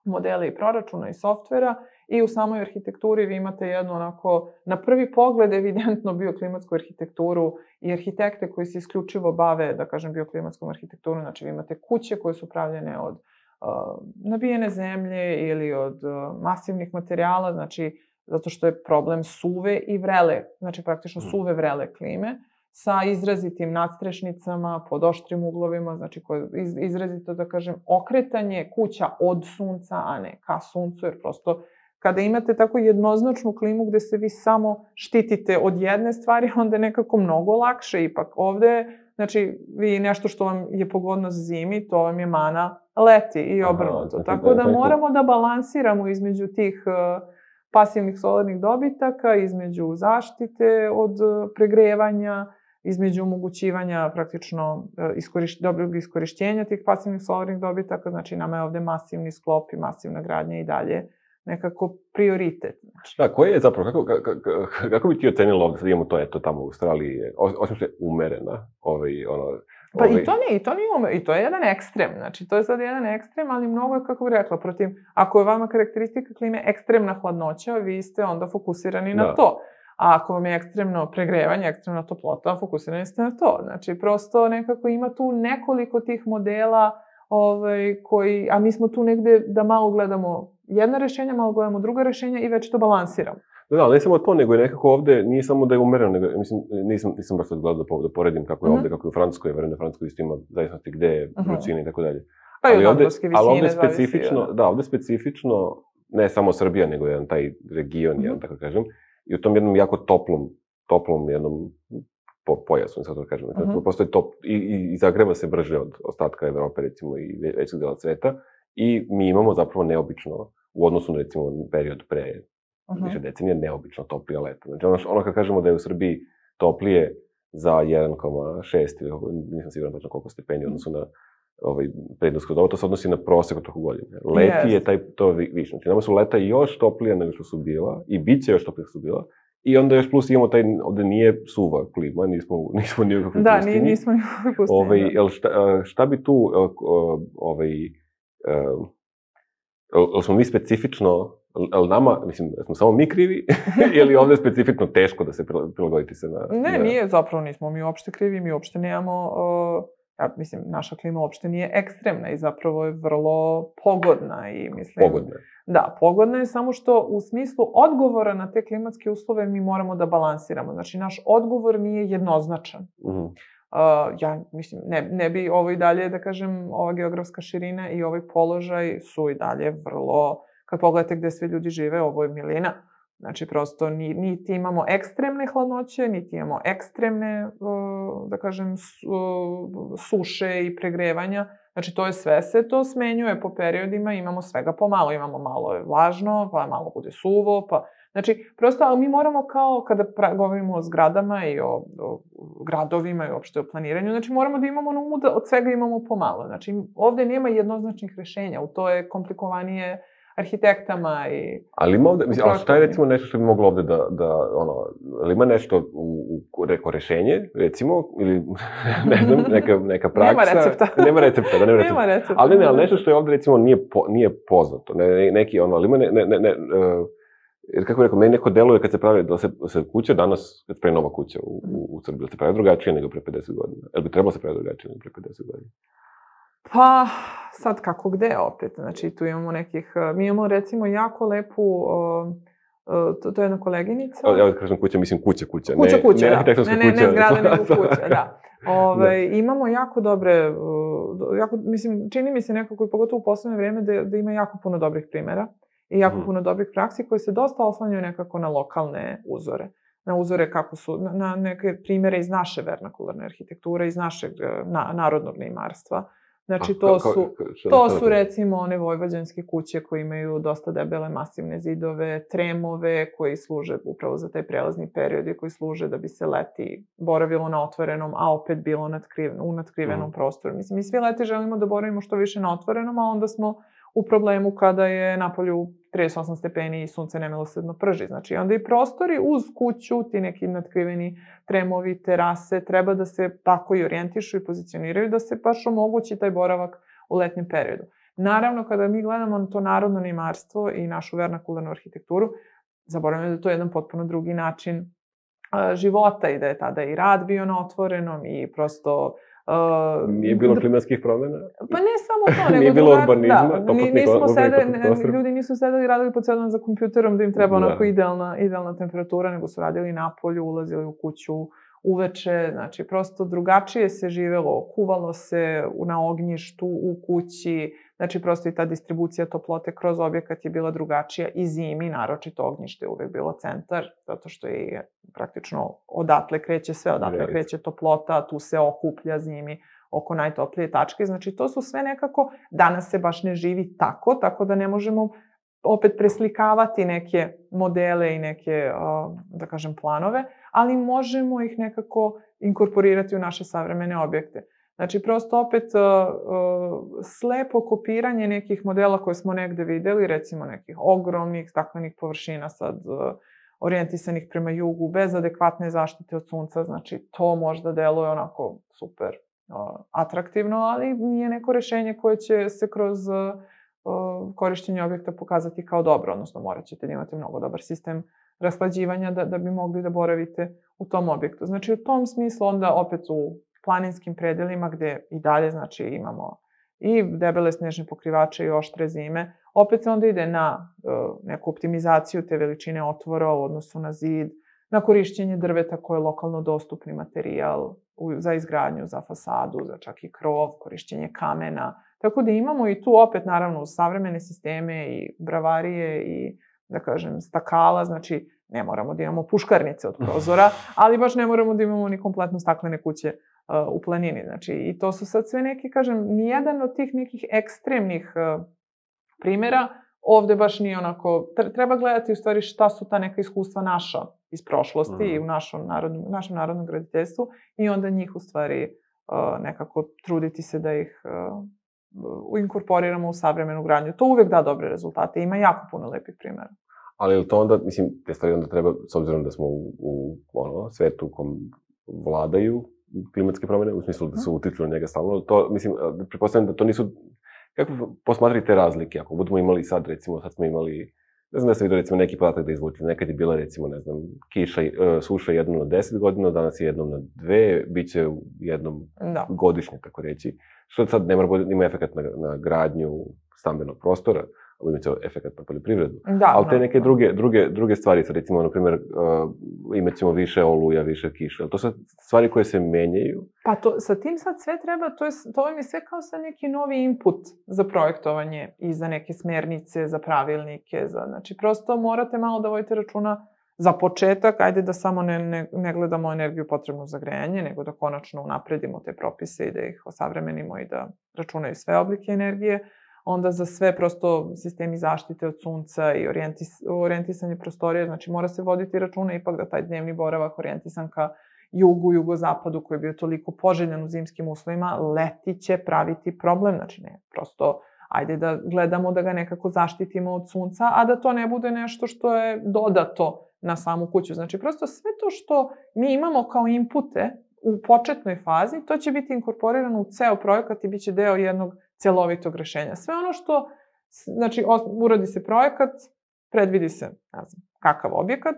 S2: modele i proračuna i softvera i u samoj arhitekturi vi imate jednu onako, na prvi pogled evidentno bioklimatsku arhitekturu i arhitekte koji se isključivo bave, da kažem, bioklimatskom arhitekturu. Znači vi imate kuće koje su pravljene od uh, nabijene zemlje ili od uh, masivnih materijala, znači zato što je problem suve i vrele, znači praktično suve vrele klime, sa izrazitim nadstrešnicama, pod oštrim uglovima, znači koje iz, izrazito, da kažem, okretanje kuća od sunca, a ne ka suncu, jer prosto kada imate tako jednoznačnu klimu gde se vi samo štitite od jedne stvari, onda je nekako mnogo lakše ipak. Ovde, znači, vi nešto što vam je pogodnost zimi, to vam je mana leti i obrnuto. Aha, tako da moramo da balansiramo između tih uh, pasivnih solarnih dobitaka, između zaštite od uh, pregrevanja, između omogućivanja praktično iskoriš, dobrog iskorišćenja tih pasivnih solarnih dobitaka, znači nama je ovde masivni sklop i masivna gradnja i dalje nekako prioritet. Znači.
S1: Da, koje je zapravo, kako, kako, kako bi ti ocenila ovde, sad imamo to, eto, tamo u Australiji, osim što je umerena, ovaj, ono...
S2: Pa ovaj... i to nije, i to nije umereno, i to je jedan ekstrem, znači to je sad jedan ekstrem, ali mnogo je, kako bih rekla, protiv, ako je vama karakteristika klime ekstremna hladnoća, vi ste onda fokusirani na da. to. A ako vam je ekstremno pregrevanje, ekstremna toplota, fokusirani ste na to. Znači, prosto nekako ima tu nekoliko tih modela ovaj, koji, a mi smo tu negde da malo gledamo jedna rešenja, malo gledamo druga rešenja i već to balansiramo.
S1: Da, da, ne samo to, nego je nekako ovde, nije samo da je umereno, nego, mislim, nisam, nisam baš sad gledao da, da poredim kako je ovde, uh-huh. kako je u Francuskoj, verujem da Francuskoj isto ima zavisnosti gde je vrućina uh-huh. i tako dalje.
S2: Pa i od nadmorske visine
S1: ali ovde specifično, zavisi, da, ovde specifično, ne samo Srbija, nego jedan taj region, uh-huh. jedan, tako kažem, i u tom jednom jako toplom, toplom jednom po, pojasu, sad to kažem, uh-huh. postoji top, i, i, i zagreva se brže od ostatka Evrope, recimo, i većeg dela sveta, i mi imamo zapravo neobično, u odnosu na, recimo, period pre uh-huh. više decenija, neobično toplija leta. Znači, ono, ono kad kažemo da je u Srbiji toplije za jedan zarez šest, ili nisam siguran tačno koliko stepeni, odnosu na ovaj, prednosko doba, to se odnosi na prosek od toliko godine. Leti yes. je taj, to više. Znači, nama su leta još toplija nego što su bila, i bit će još toplija što su bila, i onda još plus imamo taj, ovde nije suva klima, nismo, nismo ni u kakvoj
S2: da,
S1: pustini.
S2: Da, nismo ni u kakvoj pustini.
S1: Ovaj, jel šta, šta bi tu, ovaj, jel smo mi specifično, jel nama, mislim, smo samo mi krivi, ili ovde je specifično teško da se prilagoditi se na...
S2: Ne, na... nije, zapravo nismo mi uopšte krivi, mi uopšte nemamo... Uh... Ja, mislim, naša klima uopšte nije ekstremna i zapravo je vrlo pogodna i mislim...
S1: Pogodna.
S2: Da, pogodna je samo što u smislu odgovora na te klimatske uslove mi moramo da balansiramo. Znači, naš odgovor nije jednoznačan.
S1: Mhm.
S2: Uh, ja, mislim, ne, ne bi ovo i dalje, da kažem, ova geografska širina i ovaj položaj su i dalje vrlo... Kad pogledate gde sve ljudi žive, ovo je milina. Znači, prosto, ni, niti imamo ekstremne hladnoće, niti imamo ekstremne, da kažem, suše i pregrevanja. Znači, to je sve se to smenjuje po periodima, imamo svega pomalo. Imamo malo je vlažno, pa malo bude suvo, pa... Znači, prosto, ali mi moramo kao, kada pra, govorimo o zgradama i o, o gradovima i uopšte o planiranju, znači, moramo da imamo na umu da od svega imamo pomalo. Znači, ovde nema jednoznačnih rešenja, u to je komplikovanije arhitektama i...
S1: Ali ima ovde, mislim, ali šta je recimo nešto što bi moglo ovde da, da ono, ali ima nešto u, u reko rešenje, recimo, ili ne znam, neka, neka praksa...
S2: Nema recepta.
S1: Nema recepta, da nema recepta.
S2: Nema recepta.
S1: Ali ne, ali nešto što je ovde recimo nije, po, nije poznato, ne, neki ono, ali ima ne, ne, ne, ne uh, jer kako bih rekao, meni neko deluje kad se pravi, da se, se kuća danas, kad se pravi nova kuća u, u, u Srbiji, da se pravi drugačije nego pre pedeset godina. Jel bi trebalo se pravi drugačije nego pre pedeset godina?
S2: Pa, sad kako gde opet, znači tu imamo nekih, mi imamo recimo jako lepu uh, to, to je jedna koleginica.
S1: Ja kažem kuća, mislim kuća, kuća.
S2: Kuća,
S1: ne,
S2: kuća,
S1: ne,
S2: da. Ne, ne, ne zgrada, nego kuća, da. Ove,
S1: da.
S2: Imamo jako dobre, jako, mislim, čini mi se nekako i pogotovo u poslednje vreme da, da ima jako puno dobrih primera i jako hmm. puno dobrih praksi koji se dosta oslanjaju nekako na lokalne uzore. Na uzore kako su, na, na neke primere iz naše vernakularne arhitekture, iz našeg na, narodnog neimarstva. Znači, to su, to su recimo one vojvođanske kuće koje imaju dosta debele masivne zidove, tremove koji služe upravo za taj prelazni period i koji služe da bi se leti boravilo na otvorenom, a opet bilo natkriven, u natkrivenom mm. prostoru. Mislim, mi svi leti želimo da boravimo što više na otvorenom, a onda smo u problemu kada je napolju trideset osam stepeni i sunce nemilosrdno prži. Znači, onda i prostori uz kuću, ti neki natkriveni tremovi, terase, treba da se tako i orijentišu i pozicioniraju, da se baš omogući taj boravak u letnjem periodu. Naravno, kada mi gledamo to narodno neimarstvo i našu vernakularnu arhitектuru, zaboravljamo da je to jedan potpuno drugi način života i da je tada i rad bio na otvorenom i prosto...
S1: Uh, nije bilo klimatskih promjena?
S2: Pa ne samo to, nego...
S1: Nije bilo urbanizma,
S2: da,
S1: topotnih
S2: urbanih ljudi nisu sedeli i radili po celom za kompjuterom da im treba onako idealna, idealna temperatura, nego su radili napolju, ulazili u kuću uveče, znači prosto drugačije se živelo, kuvalo se na ognjištu, u kući, znači prosto i ta distribucija toplote kroz objekat je bila drugačija i zimi, naročito ognjište je uvek bilo centar, zato što je praktično odatle kreće sve, odatle kreće toplota, tu se okuplja zimi oko najtoplije tačke, znači to su sve nekako, danas se baš ne živi tako, tako da ne možemo opet preslikavati neke modele i neke, da kažem, planove, ali možemo ih nekako inkorporirati u naše savremene objekte. Znači, prosto opet slepo kopiranje nekih modela koje smo negde videli, recimo nekih ogromnih staklenih površina sad orijentisanih prema jugu, bez adekvatne zaštite od sunca, znači to možda deluje onako super atraktivno, ali nije neko rešenje koje će se kroz korišćenje objekta pokazati kao dobro, odnosno morat ćete da imate mnogo dobar sistem rashlađivanja da, da bi mogli da boravite u tom objektu. Znači, u tom smislu onda opet u planinskim predelima gde i dalje, znači, imamo i debele snežne pokrivače i oštre zime, opet se onda ide na uh, neku optimizaciju te veličine otvora u odnosu na zid, na korišćenje drveta koje je lokalno dostupni materijal u, za izgradnju, za fasadu, za čak i krov, korišćenje kamena. Tako da imamo i tu opet, naravno, savremene sisteme i bravarije i, da kažem, stakala, znači ne moramo da imamo puškarnice od prozora, ali baš ne moramo da imamo ni kompletno staklene kuće uh, u planini. Znači, i to su sad sve neki, kažem, nijedan od tih nekih ekstremnih uh, primjera ovde baš nije onako, treba gledati u stvari šta su ta neka iskustva naša iz prošlosti mm. i u našom narodnom, našem narodnom graditeljstvu i onda njih u stvari uh, nekako truditi se da ih uh, inkorporiramo u savremenu gradnju. To uvek da dobre rezultate, ima jako puno lepih primjera.
S1: Ali je to onda, mislim, te stvari onda treba, s obzirom da smo u, u ono, svetu u kom vladaju klimatske promjene, u smislu da su utiču na njega stalno, to, mislim, pretpostavljam da to nisu, kako posmatrati te razlike, ako budemo imali sad, recimo, sad smo imali, ne znam da sam vidio, recimo, neki podatak da izvučili, nekad je bila, recimo, ne znam, kiša, uh, suša jednom na deset godina, danas je jednom na dve, bit će jednom da. godišnje, tako reći, što sad ne mora ima efekt na, na gradnju stambenog prostora, imat će efekt na poljoprivredu.
S2: Da,
S1: ali te neke da. druge, druge, druge stvari, sad recimo, na primjer, uh, imat ćemo više oluja, više kiše, ali to su stvari koje se menjaju.
S2: Pa to, sa tim sad sve treba, to, je, to vam je sve kao sad neki novi input za projektovanje i za neke smernice, za pravilnike, za, znači prosto morate malo da vodite računa za početak, ajde da samo ne, ne, ne gledamo energiju potrebnu za grejanje, nego da konačno unapredimo te propise i da ih osavremenimo i da računaju sve oblike energije. Onda za sve prosto sistemi zaštite od sunca i orijentis, orijentisanje prostorije, znači mora se voditi računa ipak da taj dnevni boravak orijentisan ka jugu, jugozapadu koji je bio toliko poželjan u zimskim uslovima, leti će praviti problem, znači ne, prosto ajde da gledamo da ga nekako zaštitimo od sunca, a da to ne bude nešto što je dodato na samu kuću. Znači prosto sve to što mi imamo kao inpute u početnoj fazi, to će biti inkorporirano u ceo projekat i bit će deo jednog celovitog rešenja. Sve ono što, znači, uradi se projekat, predvidi se, ne znam, kakav objekat,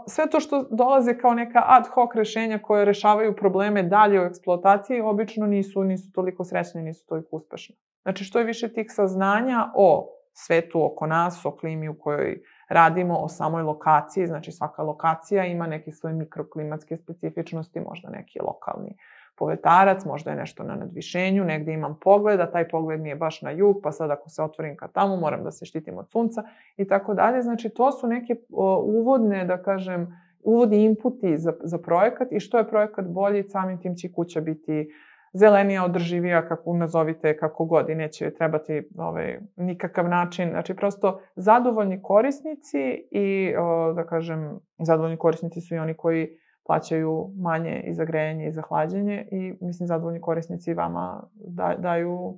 S2: sve to što dolaze kao neka ad hoc rešenja koje rešavaju probleme dalje u eksploataciji, obično nisu, nisu toliko srećne, nisu toliko uspešne. Znači, što je više tih saznanja o svetu oko nas, o klimi u kojoj radimo o samoj lokaciji, znači svaka lokacija ima neke svoje mikroklimatske specifičnosti, možda neki lokalni povetarac, možda je nešto na nadvišenju, negde imam pogled, a taj pogled mi je baš na jug, pa sad ako se otvorim ka tamo, moram da se štitim od sunca i tako dalje. Znači, to su neke uvodne, da kažem, uvodni inputi za, za projekat i što je projekat bolji, samim tim će kuća biti zelenija, održivija, kako nazovite, kako god i neće trebati ovaj, nikakav način. Znači, prosto zadovoljni korisnici i, o, da kažem, zadovoljni korisnici su i oni koji plaćaju manje i za grejanje i za hlađenje i, mislim, zadovoljni korisnici vama da, daju uh,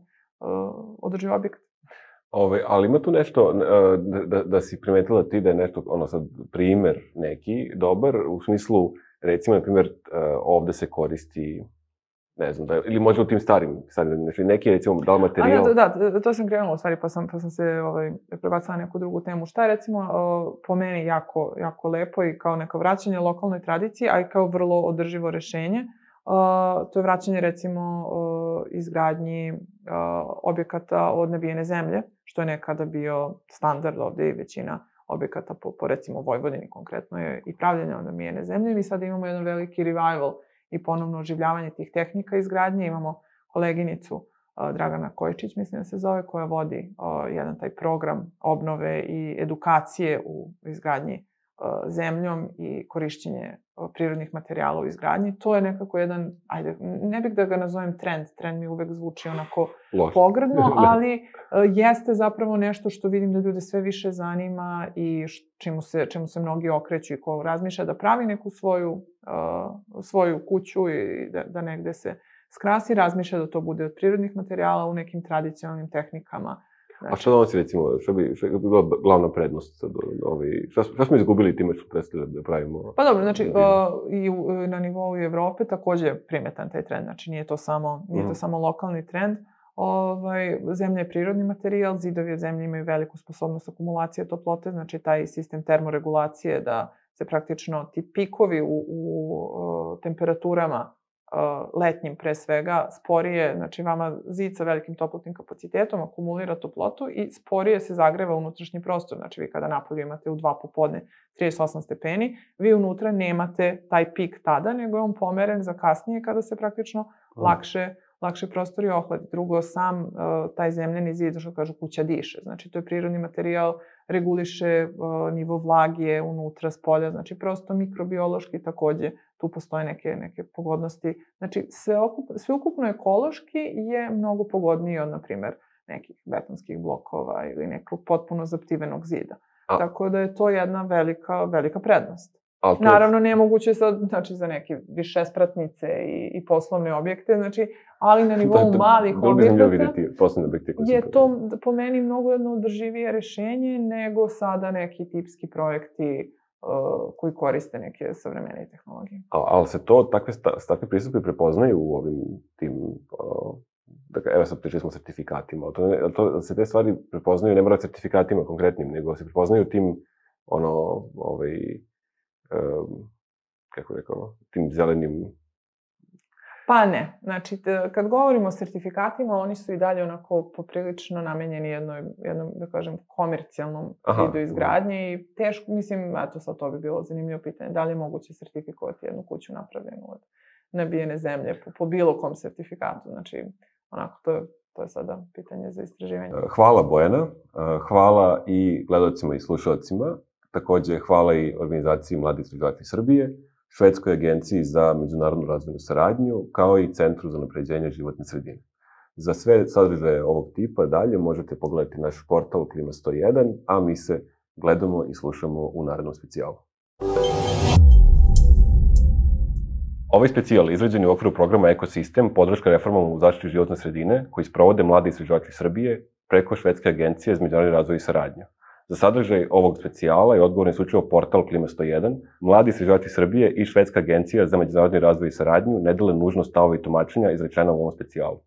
S2: održiv objekat.
S1: Ove, ali ima tu nešto, da, da si primetila ti da je nešto, ono sad, primer neki dobar, u smislu, recimo, na primjer, ovde se koristi, ne znam, da, ili možda u tim starim, starim znači neki, recimo, da li materijal...
S2: A, da, da, to sam krenula u stvari, pa sam, pa sam se ovaj, prebacila na neku drugu temu. Šta je, recimo, po meni jako, jako lepo i kao neko vraćanje lokalnoj tradiciji, a i kao vrlo održivo rešenje, to je vraćanje, recimo, izgradnji objekata od nabijene zemlje, što je nekada bio standard ovde i većina objekata po, po recimo, Vojvodini konkretno je i pravljanje od nabijene zemlje. Mi sada imamo jedan veliki revival i ponovno oživljavanje tih tehnika izgradnje. Imamo koleginicu Dragana Kojičić, mislim da se zove, koja vodi jedan taj program obnove i edukacije u izgradnji zemljom i korišćenje prirodnih materijala u izgradnji. To je nekako jedan, ajde, ne bih da ga nazovem trend, trend mi uvek zvuči onako Loš. pogrdno, ali jeste zapravo nešto što vidim da ljude sve više zanima i čemu se, čemu se mnogi okreću i ko razmišlja da pravi neku svoju, uh, svoju kuću i da, da negde se skrasi, razmišlja da to bude od prirodnih materijala u nekim tradicionalnim tehnikama.
S1: Znači, a što donosi, recimo, što bi, što bi bila glavna prednost? Ovaj, šta, šta smo izgubili time što prestali da pravimo?
S2: Pa dobro, znači, uh, i u, na nivou Evrope takođe je primetan taj trend. Znači, nije to samo, nije mm. to samo lokalni trend. Ovaj, zemlja je prirodni materijal, zidovi od zemlje imaju veliku sposobnost akumulacije toplote, znači taj sistem termoregulacije da se praktično ti pikovi u, u, u temperaturama letnjim pre svega, sporije, znači vama zid sa velikim toplotnim kapacitetom akumulira toplotu i sporije se zagreva unutrašnji prostor. Znači vi kada napolju imate u dva popodne trideset osam stepeni, vi unutra nemate taj pik tada, nego je on pomeren za kasnije kada se praktično mm. lakše, lakše prostori ohladi. Drugo, sam uh, taj zemljeni zid, što kažu, kuća diše. Znači to je prirodni materijal, reguliše uh, nivo vlage unutra, spolja, znači prosto mikrobiološki takođe tu postoje neke, neke pogodnosti. Znači, sveukupno ekološki je mnogo pogodniji od, na primer, nekih betonskih blokova ili nekog potpuno zaptivenog zida. A. Tako da je to jedna velika, velika prednost. To... Naravno, nemoguće sad, znači, za neke višespratnice i, i poslovne objekte, znači, ali na nivou da, da, malih objekata je to po meni mnogo jedno održivije rešenje nego sada neki tipski projekti Uh, koji koriste neke savremene tehnologije.
S1: A, ali se to, takve, takve pristupe prepoznaju u ovim tim, uh, dakle, evo sad pričali smo o sertifikatima, to, to, se te stvari prepoznaju, ne mora sertifikatima konkretnim, nego se prepoznaju tim, ono, ovaj, um, kako rekao, tim zelenim...
S2: Pa ne. Znači, kad govorimo o sertifikatima, oni su i dalje onako poprilično namenjeni jednoj, jednom, da kažem, komercijalnom vidu izgradnje i teško, mislim, eto sad to bi bilo zanimljivo pitanje, da li je moguće sertifikovati jednu kuću napravljenu od nabijene zemlje po, po bilo kom sertifikatu. Znači, onako, to je, to je sada pitanje za istraživanje.
S1: Hvala Bojana, hvala i gledalcima i slušalcima, takođe hvala i organizaciji Mladi istraživači Srbije, Švedskoj agenciji za međunarodnu razvojnu saradnju, kao i Centru za unapređenje životne sredine. Za sve sadržaje ovog tipa dalje možete pogledati naš portal Klima sto jedan, a mi se gledamo i slušamo u narednom specijalu. Ovaj specijal izrađen je u okviru programa Ekosistem, podrška reformama u zaštiti životne sredine, koji sprovode Mladi istraživači Srbije preko Švedske agencije za međunarodni razvoj i saradnju. Za sadržaj ovog specijala je odgovoran isključivo portal Klima sto jedan, Mladi istraživači Srbije i Švedska agencija za međunarodni razvoj i saradnju ne dele nužno stavove i tumačenja izrečena u ovom specijalu.